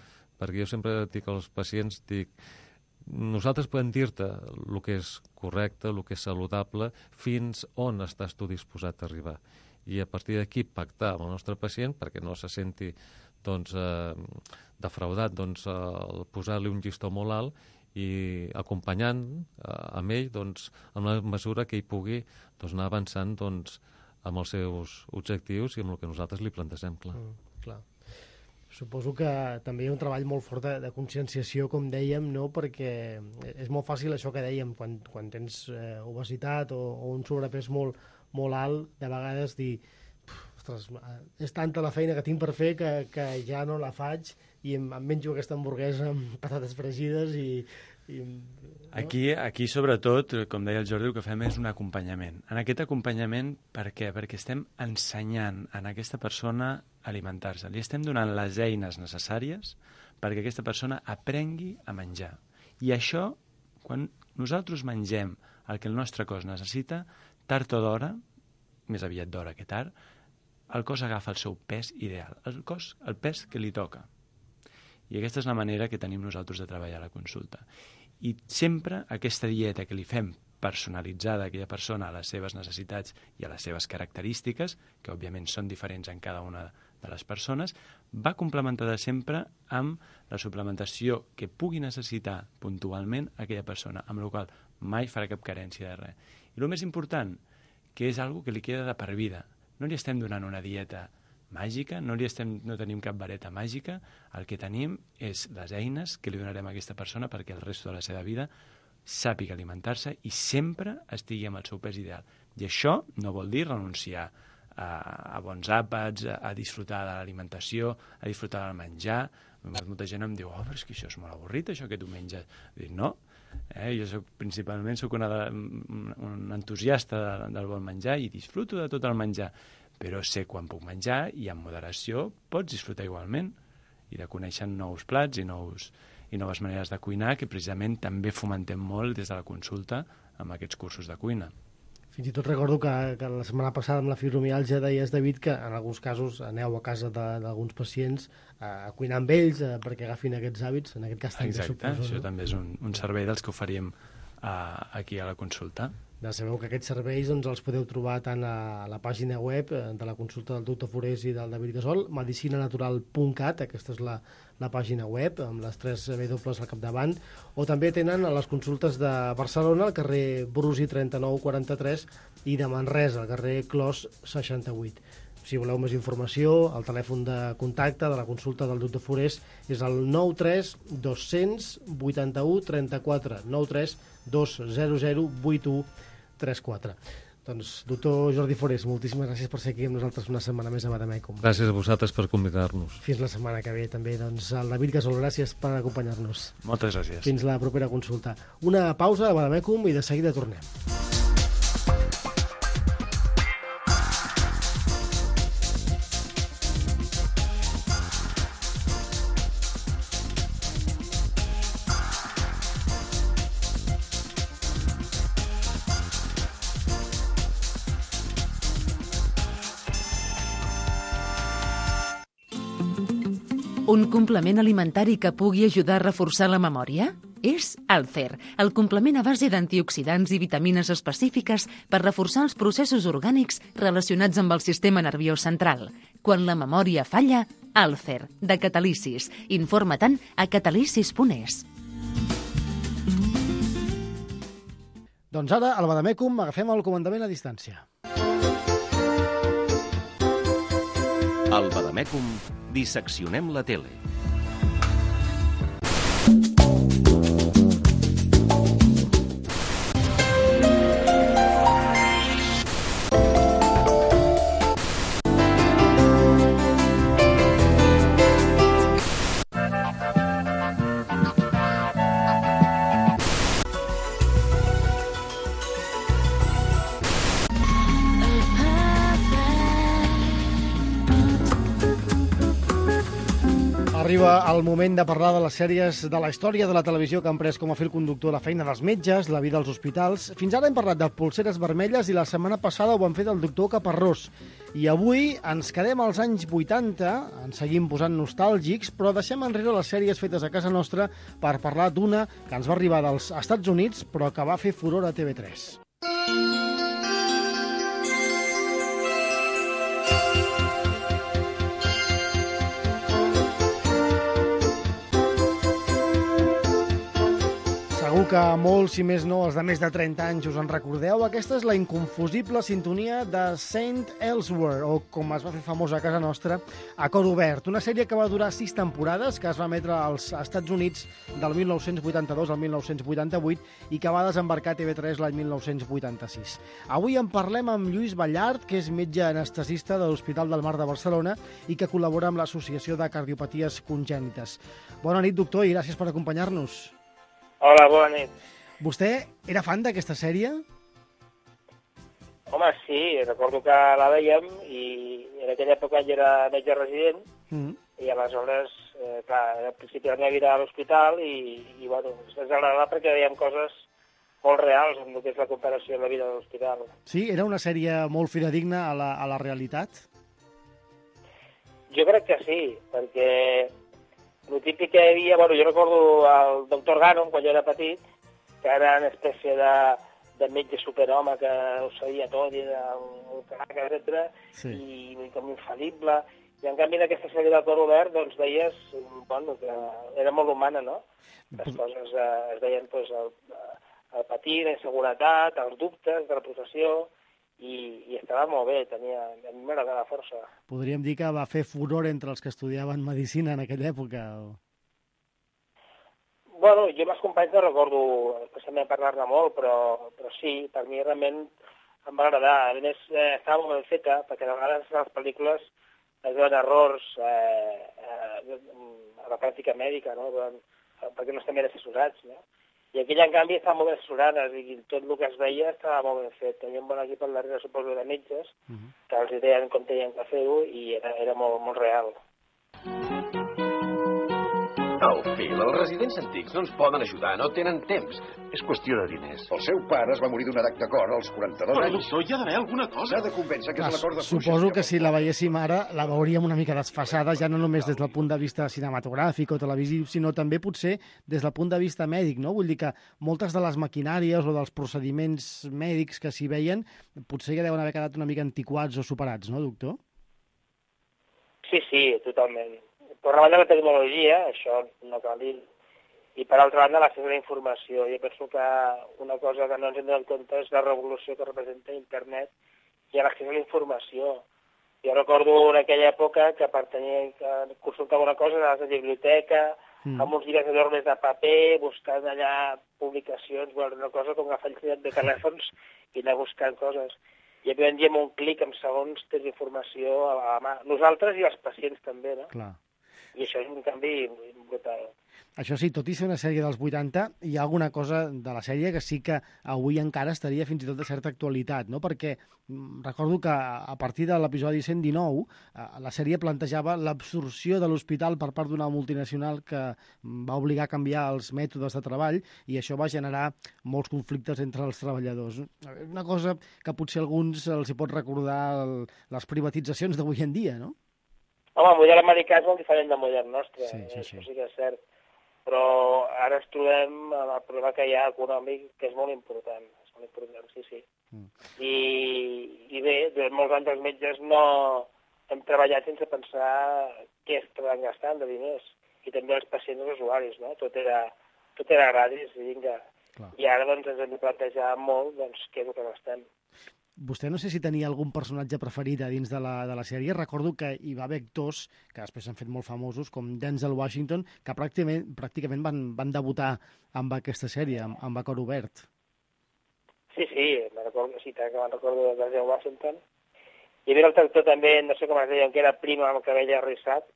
Perquè jo sempre dic als pacients, nosaltres podem dir-te el que és correcte, el que és saludable, fins on estàs tu disposat a arribar. I a partir d'aquí pactar amb el nostre pacient perquè no se senti doncs, defraudat, doncs, posar-li un llistó molt alt i acompanyant amb ell doncs, en la mesura que ell pugui doncs, anar avançant doncs, amb els seus objectius i amb el que nosaltres li plantegem, clar. Clar. Suposo que també hi ha un treball molt fort de conscienciació, com dèiem, no? Perquè és molt fàcil això que dèiem, quan tens obesitat o un sobrepès molt alt, de vegades dir, ostres, és tanta la feina que tinc per fer que ja no la faig i em menjo aquesta hamburguesa amb patates fregides i no? Aquí, sobretot, com deia el Jordi, el que fem és un acompanyament. En aquest acompanyament, per què? Perquè estem ensenyant a aquesta persona a alimentar-se. Li estem donant les eines necessàries perquè aquesta persona aprengui a menjar. I això, quan nosaltres mengem el que el nostre cos necessita, tard o d'hora, més aviat d'hora que tard, el cos agafa el seu pes ideal, el pes que li toca. I aquesta és la manera que tenim nosaltres de treballar a la consulta. I sempre aquesta dieta que li fem personalitzada a aquella persona, a les seves necessitats i a les seves característiques, que òbviament són diferents en cada una de les persones, va complementada sempre amb la suplementació que pugui necessitar puntualment aquella persona, amb la qual mai farà cap carència de res. I el més important, que és algo que li queda de per vida. No li estem donant una dieta màgica, no tenim cap vareta màgica, el que tenim és les eines que li donarem a aquesta persona perquè el resto de la seva vida sàpiga alimentar-se i sempre estigui amb el seu pes ideal. I això no vol dir renunciar a bons àpats, a disfrutar de l'alimentació, a disfrutar del menjar, Molta gent em diu, però és que això és molt avorrit, això que tu menges. Dic, no, jo principalment soc un entusiasta del bon menjar i disfruto de tot el menjar, però sé quan puc menjar i amb moderació pots disfrutar igualment i de conèixer nous plats i noves maneres de cuinar que precisament també fomentem molt des de la consulta amb aquests cursos de cuina. Fins i tot recordo que la setmana passada amb la fibromiàlgia deies, David, que en alguns casos aneu a casa d'alguns pacients a cuinar amb ells perquè agafin aquests hàbits, en aquest cas també Exacte, suposo. Això també és un servei dels que oferim aquí a la consulta. Ja sabeu que aquests serveis els podeu trobar tant a la pàgina web de la consulta del doctor Forés i del David Gasol, medicinanatural.cat, aquesta és la pàgina web, amb les 3 W al capdavant, o també tenen a les consultes de Barcelona, al carrer Brusi 3943, i de Manresa, al carrer Clos 68. Si voleu més informació, el telèfon de contacte de la consulta del doctor Forés és el 93 200 81 34, 93 200 81 34. Doncs, doctor Jordi Forés, moltíssimes gràcies per ser aquí amb nosaltres una setmana més a Bademecum. Gràcies a vosaltres per convidar-nos. Fins la setmana que ve també. Doncs el David Gasol, gràcies per acompanyar-nos. Moltes gràcies. Fins la propera consulta. Una pausa a Bademecum i de seguida tornem. Un complement alimentari que pugui ajudar a reforçar la memòria? És Alcer, el complement a base d'antioxidants i vitamines específiques per reforçar els processos orgànics relacionats amb el sistema nerviós central. Quan la memòria falla, Alcer, de Catalisis. Informa-te'n a catalisis.es. Doncs ara, al Bademecum, agafem el comandament a distància. Al Bademecum disseccionem la tele. Arriba el moment de parlar de les sèries de la història de la televisió que han pres com a fil conductor la feina dels metges, la vida als hospitals. Fins ara hem parlat de Polseres vermelles i la setmana passada ho vam fer del doctor Caparrós. I avui ens quedem als anys 80, ens seguim posant nostàlgics, però deixem enrere les sèries fetes a casa nostra per parlar d'una que ens va arribar dels Estats Units però que va fer furor a TV3. Segur que molts, si més no, els de més de 30 anys us en recordeu. Aquesta és la inconfusible sintonia de Saint Elsewhere, o com es va fer famosa a casa nostra, A Cor Obert. Una sèrie que va durar 6 temporades, que es va emetre als Estats Units del 1982 al 1988 i que va desembarcar a TV3 l'any 1986. Avui en parlem amb Lluís Ballart, que és metge anestesista de l'Hospital del Mar de Barcelona i que col·labora amb l'Associació de Cardiopaties Congènites. Bona nit, doctor, i gràcies per acompanyar-nos. Hola, bona nit. Vostè era fan d'aquesta sèrie? Home, sí, recordo que la veiem i en aquella època jo era metge resident i aleshores, clar, al principi la meva vida a l'hospital i bueno, ens agradava perquè veiem coses molt reals en el que és la comparació de la vida de l'hospital. Sí, era una sèrie molt fidedigna a la realitat? Jo crec que sí, perquè el típic que hi havia, bueno, jo recordo el doctor Gannon, quan jo era petit, que era una espècie de metge superhome que ho sabia tot, i era un crac, etc. Sí. I com infal·lible. I en canvi en aquesta sèrie de Cor Obert, doncs veies, bueno, que era molt humana, no? Les coses es deien, doncs, el patir, la inseguretat, els dubtes de la professió, i estava molt bé, a mi m'agradava força. Podríem dir que va fer furor entre els que estudiaven medicina en aquella època? Bueno, jo amb els companys no recordo especialment parlar-ne molt, però sí, per mi realment em va agradar. A més, estava molt ben feta, perquè de vegades les pel·lícules es veuen errors a la pràctica mèdica, no? Perquè no estan ben assessorats, no? I aquella, en canvi, estaven molt ben assessorades i tot el que es veia estava molt ben fet. Teníem un bon equip al darrere, suposo, de metges, que els deien com tenien que fer-ho i era molt, molt real. Al Phil, els residents antics no ens poden ajudar, no tenen temps. És qüestió de diners. El seu pare es va morir d'un atac de cor als 42 Però, anys. doctor, hi ha d'haver alguna cosa. S'ha de convèncer que és l'acord de Suposo que si la veiéssim ara la veuríem una mica desfasada, ja no només des del punt de vista cinematogràfic o televisiu, sinó també potser des del punt de vista mèdic, no? Vull dir que moltes de les maquinàries o dels procediments mèdics que s'hi veien potser ja deuen haver quedat una mica antiquats o superats, no, doctor? Sí, totalment. Per una banda, la tecnologia, això no cal dir, i per altra banda, l'accés a la informació. Jo penso que una cosa que no ens hem donat compte és la revolució que representa internet i l'accés a la informació. Jo recordo en aquella època que per tenir que consultar alguna cosa anaves a la biblioteca, amb uns llibres enormes de paper, buscant allà publicacions, bueno, una cosa com agafar el de telèfons i anar buscant coses. I avui en dia amb un clic, en segons, tens informació a la mà. Nosaltres i els pacients també, no? Clar. I això és un canvi brutal. Això sí, tot i ser una sèrie dels 80, hi ha alguna cosa de la sèrie que sí que avui encara estaria fins i tot de certa actualitat, no? Perquè recordo que a partir de l'episodi 119 la sèrie plantejava l'absorció de l'hospital per part d'una multinacional que va obligar a canviar els mètodes de treball i això va generar molts conflictes entre els treballadors. Una cosa que potser a alguns els hi pot recordar les privatitzacions d'avui en dia, no? Home, el model americà és molt diferent del model nostre, sí. Això sí que és cert. Però ara ens trobem amb el problema que hi ha econòmic, que és molt important. És molt important, sí. I bé, durant molts anys els metges no hem treballat sense pensar què estaven gastant de diners. I també els pacients i els usuaris, no? Tot era gratis, i vinga. Clar. I ara doncs, ens hem de plantejar molt què és el que gastem. Vostè no sé si tenia algun personatge preferit a dins de la sèrie. Recordo que hi va haver actors que després s'han fet molt famosos, com Denzel Washington, que pràcticament van debutar amb aquesta sèrie, amb A Cor Obert. Sí, me'n recordo de Denzel Washington. Hi havia el actor també, no sé com es deia, que era primo amb el cabell arrissat,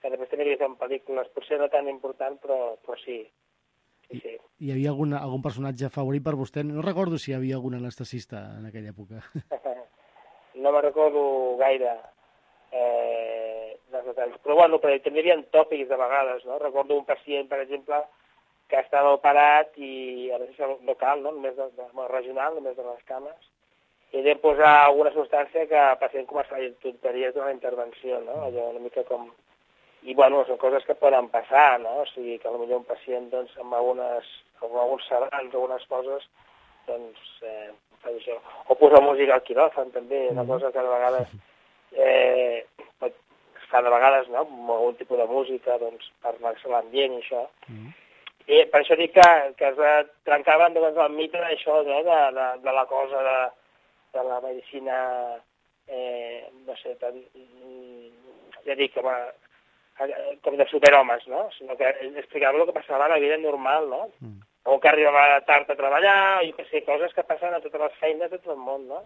que després també havia fet en pel·lícules, potser no tan important, però sí. Sí. Hi havia algun personatge favorit per vostè? No recordo si hi havia algun anestesista en aquella època. No me'n recordo gaire dels detalls. Però bueno, també hi havia tòpics de vegades, no? Recordo un pacient, per exemple, que estava operat i a vegades local, no? Només regional, només de les cames, i de posar alguna substància que el pacient començava a dir tonteries d'una intervenció, no? Allò una mica com... I, bueno, són coses que poden passar, no? O sigui, que potser un pacient, doncs, amb alguns sedants, algunes coses, doncs, fa això. O posar música al quiròfan, també, una cosa que de vegades es fa de vegades, no? Amb algun tipus de música, doncs, per relaxar l'ambient i això. I per això dic que es trencaven, doncs, el mite d'això, no? De la cosa de la medicina, no sé, ja dic, com de superhomes, no? Sinó que explicava el que passava a la vida normal, no? O que arribava tard a treballar, jo què sé, coses que passen a totes les feines de tot el món, no?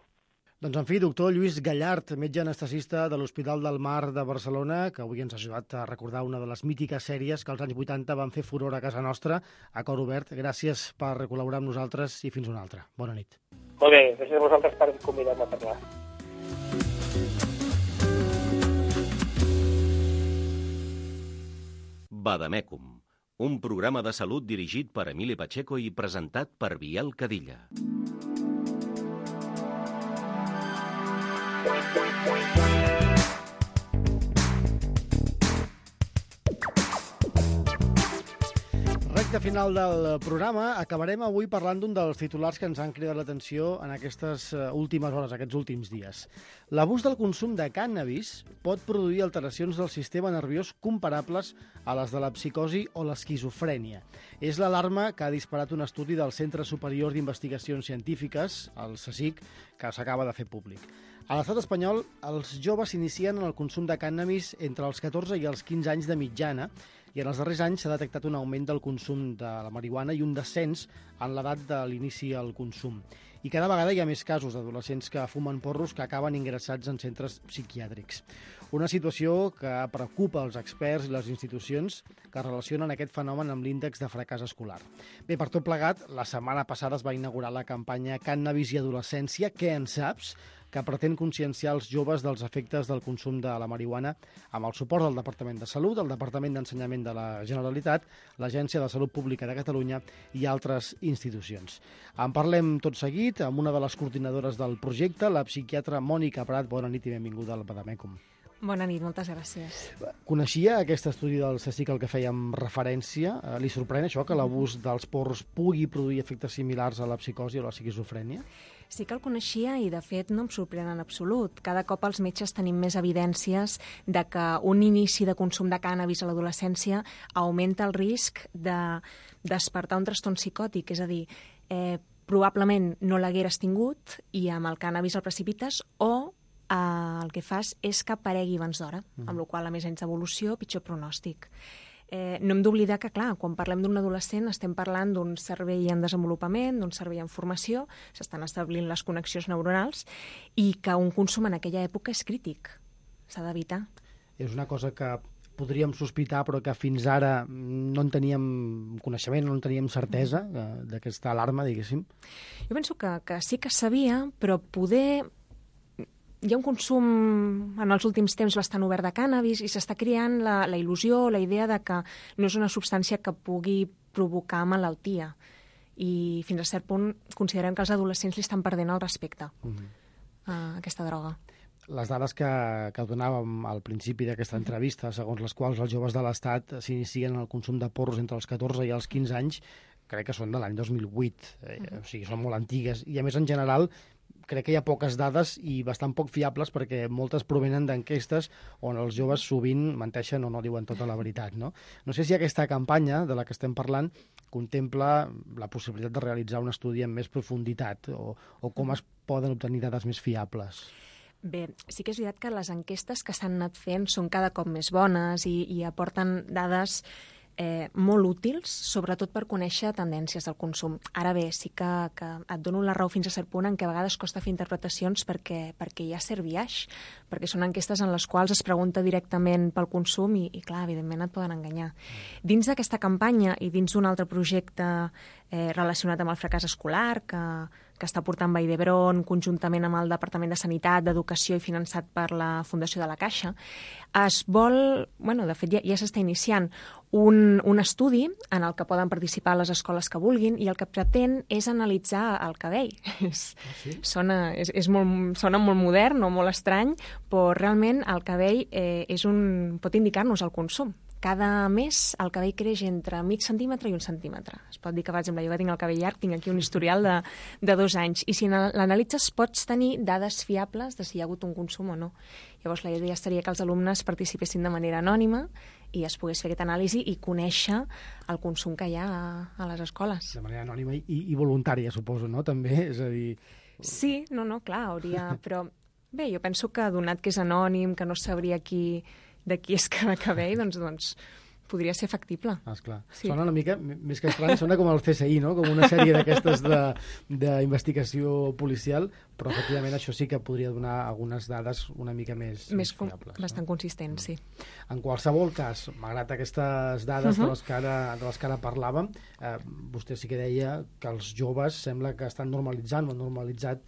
Doncs, en fi, doctor Lluís Gallart, metge anestesista de l'Hospital del Mar de Barcelona, que avui ens ha ajudat a recordar una de les mítiques sèries que als anys 80 van fer furor a casa nostra, A Cor Obert. Gràcies per col·laborar amb nosaltres i fins una altra. Bona nit. Molt bé, gràcies a vosaltres per convidar-me a parlar. Badamècum, un programa de salut dirigit per Emili Pacheco i presentat per Biel Cadilla. Recte final del programa, acabarem avui parlant d'un dels titulars que ens han cridat l'atenció en aquestes últimes hores, aquests últims dies. L'abús del consum de cànnabis pot produir alteracions del sistema nerviós comparables a les de la psicosi o l'esquizofrènia. És l'alarma que ha disparat un estudi del Centre Superior d'Investigacions Científiques, el CSIC, que s'acaba de fer públic. A l'estat espanyol, els joves s'inicien en el consum de cànnabis entre els 14 i els 15 anys de mitjana, i en els darrers anys s'ha detectat un augment del consum de la marihuana i un descens en l'edat de l'inici al consum. I cada vegada hi ha més casos d'adolescents que fumen porros que acaben ingressats en centres psiquiàtrics. Una situació que preocupa els experts i les institucions que relacionen aquest fenomen amb l'índex de fracàs escolar. Bé, per tot plegat, la setmana passada es va inaugurar la campanya Cànnabis i adolescència, Què en saps?, que pretén conscienciar els joves dels efectes del consum de la marihuana amb el suport del Departament de Salut, el Departament d'Ensenyament de la Generalitat, l'Agència de Salut Pública de Catalunya i altres institucions. En parlem tot seguit amb una de les coordinadores del projecte, la psiquiatra Mònica Prat. Bona nit i benvinguda al Bademecum. Bona nit, moltes gràcies. Coneixia aquest estudi del CSIC al que fèiem referència? Li sorprèn això, que l'abús dels porros pugui produir efectes similars a la psicosi o la esquizofrènia? Sí que el coneixia i, de fet, no em sorprèn en absolut. Cada cop els metges tenim més evidències de que un inici de consum de cànnabis a l'adolescència augmenta el risc de despertar un trastorn psicòtic, és a dir, probablement no l'hagueres tingut i amb el cànnabis el precipites o el que fas és que aparegui abans d'hora, amb la qual cosa, a més anys d'evolució, pitjor pronòstic. No hem d'oblidar que, clar, quan parlem d'un adolescent estem parlant d'un cervell en desenvolupament, d'un cervell en formació, s'estan establint les connexions neuronals i que un consum en aquella època és crític. S'ha d'evitar. És una cosa que podríem sospitar, però que fins ara no en teníem coneixement, no en teníem certesa d'aquesta alarma, diguéssim. Jo penso que sí que sabia, però poder... Hi ha un consum en els últims temps bastant obert de cànnabis i s'està creant la il·lusió, la idea de que no és una substància que pugui provocar malaltia. I fins a cert punt considerem que els adolescents li estan perdent el respecte a aquesta droga. Les dades que donàvem al principi d'aquesta entrevista, segons les quals els joves de l'Estat s'inicien en el consum de porros entre els 14 i els 15 anys, crec que són de l'any 2008. O sigui, són molt antigues. I, a més, en general, crec que hi ha poques dades i bastant poc fiables perquè moltes provenen d'enquestes on els joves sovint menteixen o no diuen tota la veritat, no? No sé si aquesta campanya de la que estem parlant contempla la possibilitat de realitzar un estudi amb més profunditat o com es poden obtenir dades més fiables. Bé, sí que és veritat que les enquestes que s'han anat fent són cada cop més bones i aporten dades molt útils, sobretot per conèixer tendències del consum. Ara bé, sí que et dono la raó fins a cert punt en què a vegades costa fer interpretacions perquè hi ha cert biaix, perquè són enquestes en les quals es pregunta directament pel consum i clar, evidentment et poden enganyar. Dins d'aquesta campanya i dins d'un altre projecte relacionat amb el fracàs escolar que està portant Vall d'Hebron conjuntament amb el Departament de Sanitat, d'Educació i finançat per la Fundació de la Caixa, es vol, de fet ja s'està iniciant un estudi en el que poden participar les escoles que vulguin i el que pretén és analitzar el cabell. Sona molt modern o molt estrany, però realment el cabell pot indicar-nos el consum. Cada mes el cabell creix entre mig centímetre i 1 centímetre. Es pot dir que, per exemple, jo que tinc el cabell llarg, tinc aquí un historial de 2 anys. I si l'analitzes pots tenir dades fiables de si hi ha hagut un consum o no. Llavors la idea seria que els alumnes participessin de manera anònima i es pogués fer aquesta anàlisi i conèixer el consum que hi ha a les escoles. De manera anònima i voluntària, suposo, no? També, és a dir... Sí, clar, hauria... Però bé, jo penso que donat que és anònim, que no sabria de qui és cada cabell, doncs podria ser factible. Esclar. Sí. Sona una mica, més que estrany, sona com el CSI, no? Com una sèrie d'aquestes d'investigació policial, però efectivament això sí que podria donar algunes dades una mica més fiables. Bastant consistents, sí. En qualsevol cas, malgrat aquestes dades de les que ara parlàvem, vostè sí que deia que els joves sembla que estan normalitzant o han normalitzat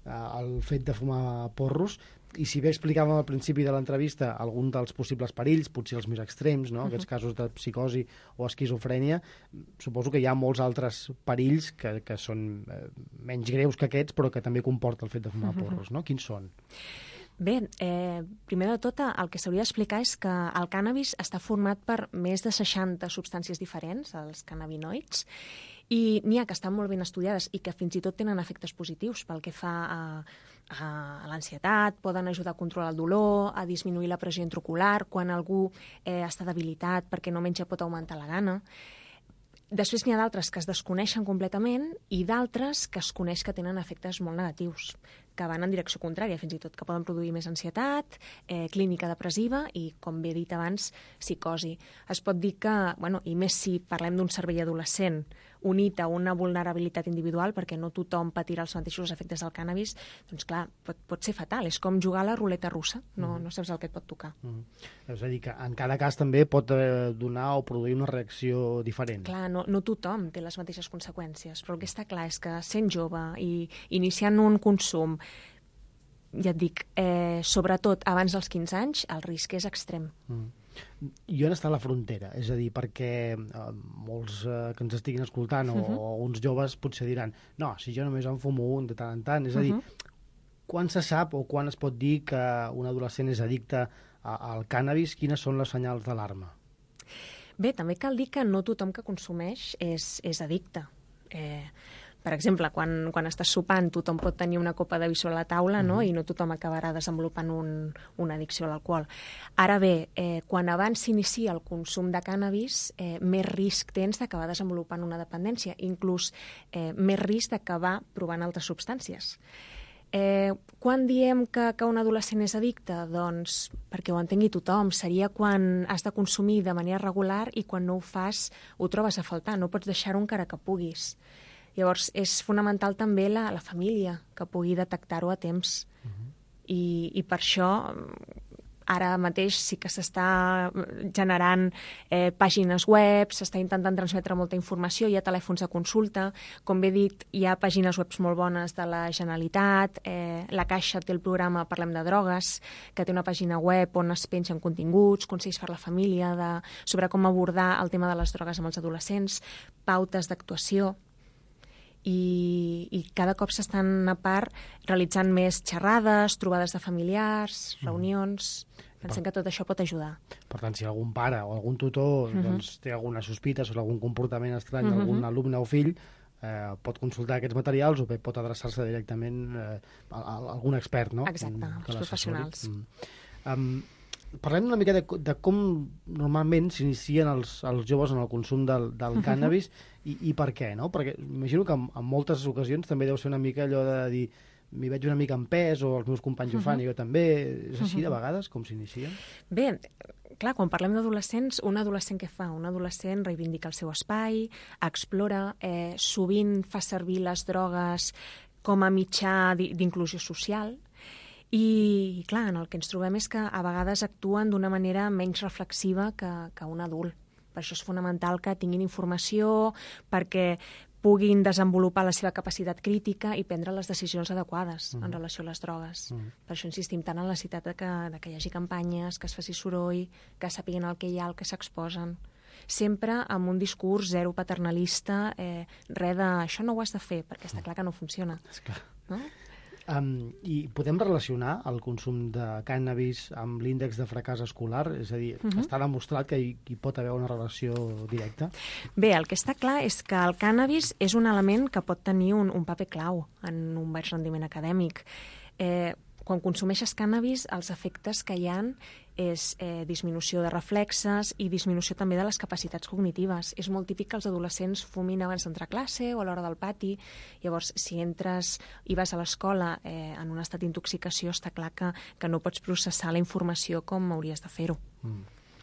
el fet de fumar porros, i si bé explicàvem al principi de l'entrevista algun dels possibles perills, potser els més extrems, no? Aquests casos de psicosi o esquizofrènia, suposo que hi ha molts altres perills que són menys greus que aquests, però que també comporta el fet de fumar porros, no? Quins són? Bé, primer de tot, el que s'hauria d'explicar és que el cànnabis està format per més de 60 substàncies diferents, els cannabinoids, i n'hi ha que estan molt ben estudiades i que fins i tot tenen efectes positius pel que fa a l'ansietat, poden ajudar a controlar el dolor, a disminuir la pressió intraocular, quan algú està debilitat perquè no menja pot augmentar la gana. Després n'hi ha d'altres que es desconeixen completament i d'altres que es coneix que tenen efectes molt negatius. que van en direcció contrària, fins i tot, que poden produir més ansietat, clínica depressiva i, com bé he dit abans, psicosi. Es pot dir que, i més si parlem d'un cervell adolescent unit a una vulnerabilitat individual, perquè no tothom patirà els mateixos efectes del cànnabis, doncs clar, pot ser fatal. És com jugar a la ruleta russa, no saps el que et pot tocar. És a dir, que en cada cas també pot donar o produir una reacció diferent. Clar, no tothom té les mateixes conseqüències, però el que està clar és que sent jove i iniciant un consum, ja et dic, sobretot abans dels 15 anys, el risc és extrem. I on està la frontera? És a dir, perquè molts que ens estiguin escoltant o uns joves potser diran no, si jo només en fumo un de tant en tant. És a dir, quan se sap o quan es pot dir que un adolescent és addicte al cànnabis? Quines són les senyals d'alarma? Bé, també cal dir que no tothom que consumeix és addicte. Per exemple, quan estàs sopant, tothom pot tenir una copa de vi a la taula, no? I no tothom acabarà desenvolupant una addicció a l'alcohol. Ara bé, quan abans s'inicia el consum de cànnabis, més risc tens d'acabar desenvolupant una dependència, inclús més risc d'acabar provant altres substàncies. Quan diem que un adolescent és addicte? Doncs perquè ho entengui tothom. Seria quan has de consumir de manera regular i quan no ho fas ho trobes a faltar. No pots deixar-ho encara que puguis. Llavors, és fonamental també la família, que pugui detectar-ho a temps. I per això, ara mateix sí que s'està generant pàgines web, s'està intentant transmetre molta informació, hi ha telèfons de consulta. Com bé he dit, hi ha pàgines web molt bones de la Generalitat, la Caixa té el programa Parlem de Drogues, que té una pàgina web on es pengen continguts, consells per a la família, sobre com abordar el tema de les drogues amb els adolescents, pautes d'actuació. I cada cop s'estan a part realitzant més xerrades, trobades de familiars, reunions. Pensem que tot això pot ajudar. Per tant, si algun pare o algun tutor té alguna sospita sobre algun comportament estrany d'algun alumne o fill, pot consultar aquests materials o bé pot adreçar-se directament a algun expert, no? Exacte, als professionals. Parlem una mica de com normalment s'inicien els joves en el consum del cànnabis i per què, no? Perquè imagino que en moltes ocasions també deu ser una mica allò de dir m'hi veig una mica en pes o els meus companys ho fan i jo també. És així de vegades com s'inicien? Bé, clar, quan parlem d'adolescents, un adolescent què fa? Un adolescent reivindica el seu espai, explora, sovint fa servir les drogues com a mitjà d'inclusió social. I, clar, el que ens trobem és que a vegades actuen d'una manera menys reflexiva que un adult. Per això és fonamental que tinguin informació, perquè puguin desenvolupar la seva capacitat crítica i prendre les decisions adequades en relació a les drogues. Per això insistim tant en la necessitat que hi hagi campanyes, que es faci soroll, que sàpiguen el que hi ha, el que s'exposen. Sempre amb un discurs zero paternalista, res de això no ho has de fer, perquè està clar que no funciona. No? I podem relacionar el consum de cànnabis amb l'índex de fracàs escolar? És a dir, està demostrat que hi pot haver una relació directa? Bé, el que està clar és que el cànnabis és un element que pot tenir un paper clau en un baix rendiment acadèmic. Quan consumeixes cànnabis, els efectes que hi ha és disminució de reflexes i disminució també de les capacitats cognitives. És molt típic que els adolescents fumin abans d'entrar a classe o a l'hora del pati. Llavors, si entres i vas a l'escola en un estat d'intoxicació, està clar que no pots processar la informació com hauries de fer-ho.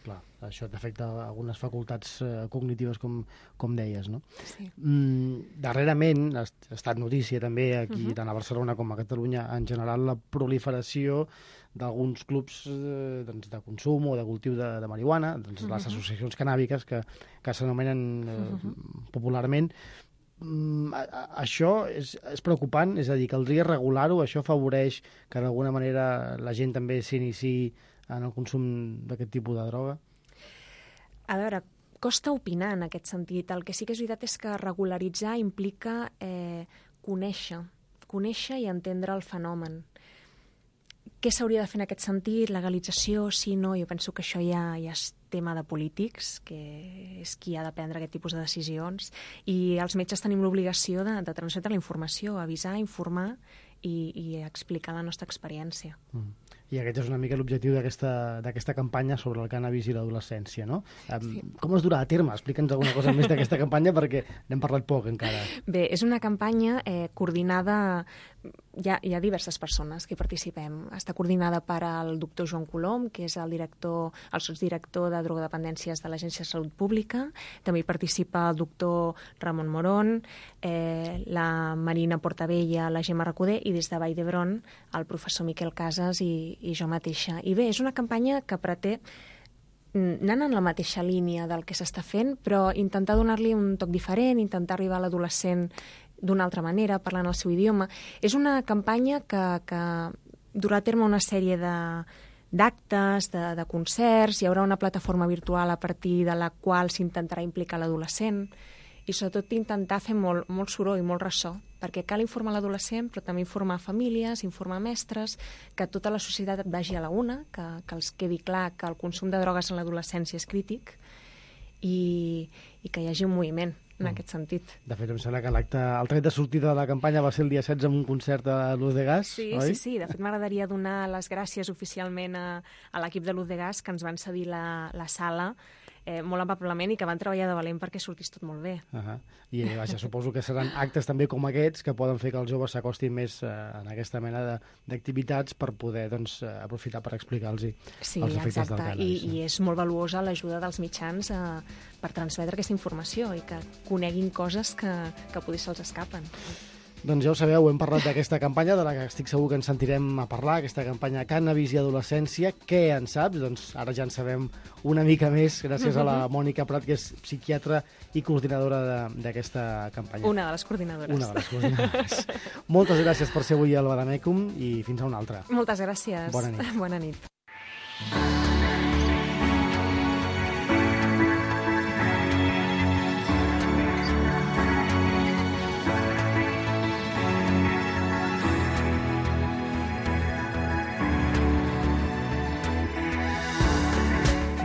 Clar, això t'afecta algunes facultats cognitives, com deies, no? Sí. Darrerament ha estat notícia també aquí, tant a Barcelona com a Catalunya, en general, la proliferació d'alguns clubs de consum o de cultiu de marihuana, les associacions cannàbiques que s'anomenen popularment. Això és preocupant? És a dir, caldria regular-ho? Això afavoreix que d'alguna manera la gent també s'iniciï en el consum d'aquest tipus de droga? A veure, costa opinar en aquest sentit. El que sí que és veritat és que regularitzar implica conèixer i entendre el fenomen. Què s'hauria de fer en aquest sentit? Legalització, sí, no? Jo penso que això ja és tema de polítics, que és qui ha de prendre aquest tipus de decisions, i els metges tenim l'obligació de transmetre la informació, avisar, informar i explicar la nostra experiència. I aquest és una mica l'objectiu d'aquesta campanya sobre el cànnabis i l'adolescència, no? Sí. Com es durà a terme? Explica'ns alguna cosa més d'aquesta campanya, perquè n'hem parlat poc encara. Bé, és una campanya coordinada hi ha diverses persones que hi participem. Està coordinada per al doctor Joan Colom, que és el sotsdirector de drogodependències de l'Agència de Salut Pública. També hi participa el doctor Ramon Morón, la Marina Portabella, la Gemma Recoder i des de Vall d'Hebron el professor Miquel Casas i jo mateixa. I bé, és una campanya que pretén anant en la mateixa línia del que s'està fent, però intentar donar-li un toc diferent, intentar arribar a l'adolescent d'una altra manera, parlant el seu idioma. És una campanya que durà a terme una sèrie d'actes, de concerts, hi haurà una plataforma virtual a partir de la qual s'intentarà implicar l'adolescent i sobretot intentar fer molt soroll, molt ressò, perquè cal informar l'adolescent, però també informar famílies, informar mestres, que tota la societat vagi a la una, que els quedi clar que el consum de drogues en l'adolescència és crític i que hi hagi un moviment en aquest sentit. De fet, em sembla que el tret de sortida de la campanya va ser el dia 16 amb un concert a Luz de Gas, oi? Sí. De fet, m'agradaria donar les gràcies oficialment a l'equip de Luz de Gas que ens van cedir la sala molt amablement i que van treballar de valent perquè sortís tot molt bé. I vaja, suposo que seran actes també com aquests que poden fer que els joves s'acostin més en aquesta mena d'activitats per poder aprofitar per explicar-los els efectes del cànnabis. I és molt valuosa l'ajuda dels mitjans per transmetre aquesta informació i que coneguin coses que potser se'ls escapen. Doncs ja ho sabeu, hem parlat d'aquesta campanya, de la que estic segur que ens sentirem a parlar, aquesta campanya Cànnabis i Adolescència. Què en saps? Doncs ara ja en sabem una mica més, gràcies a la Mònica Prat, que és psiquiatra i coordinadora d'aquesta campanya. Una de les coordinadores. Una de les coordinadores. Moltes gràcies per ser avui al Badamècum i fins a una altra. Moltes gràcies. Bona nit. Bona nit.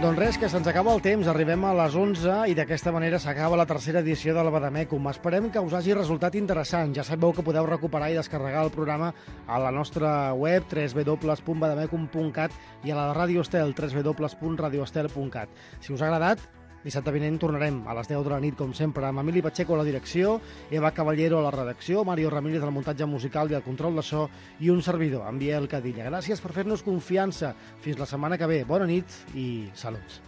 Doncs res, que se'ns acaba el temps, arribem a les 11 i d'aquesta manera s'acaba la tercera edició del Badamècum. Esperem que us hagi resultat interessant. Ja sabeu que podeu recuperar i descarregar el programa a la nostra web www.badamecum.cat i a la de Radio Estel www.radioestel.cat. Si us ha agradat, dissabte vinent tornarem a les 10 de la nit, com sempre, amb Emili Pacheco a la direcció, Eva Caballero a la redacció, Mario Ramírez al muntatge musical i al control de so i un servidor, en Biel Cadilla. Gràcies per fer-nos confiança. Fins la setmana que ve. Bona nit i salut.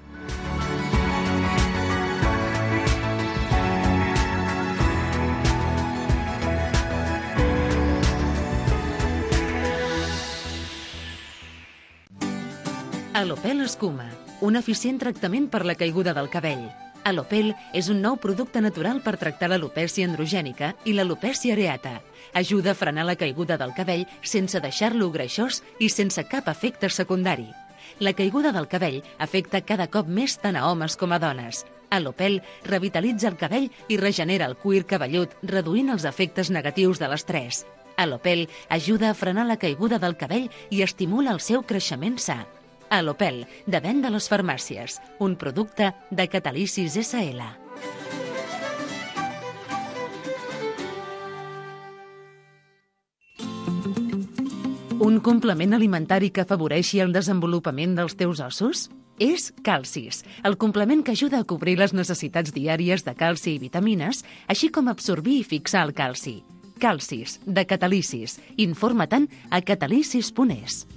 Alopel Escuma, un eficient tractament per la caiguda del cabell. Alopel és un nou producte natural per tractar l'alopècia androgènica i l'alopècia areata. Ajuda a frenar la caiguda del cabell sense deixar-lo greixós i sense cap efecte secundari. La caiguda del cabell afecta cada cop més tant a homes com a dones. Alopel revitalitza el cabell i regenera el cuir cabellut, reduint els efectes negatius de l'estrès. Alopel ajuda a frenar la caiguda del cabell i estimula el seu creixement sa. Alopel, de venda a les farmàcies, un producte de Catalisis SL. Un complement alimentari que afavoreixi el desenvolupament dels teus ossos? És Calcis, el complement que ajuda a cobrir les necessitats diàries de calci i vitamines, així com absorbir i fixar el calci. Calcis, de Catalisis. Informa-te'n a catalisis.es.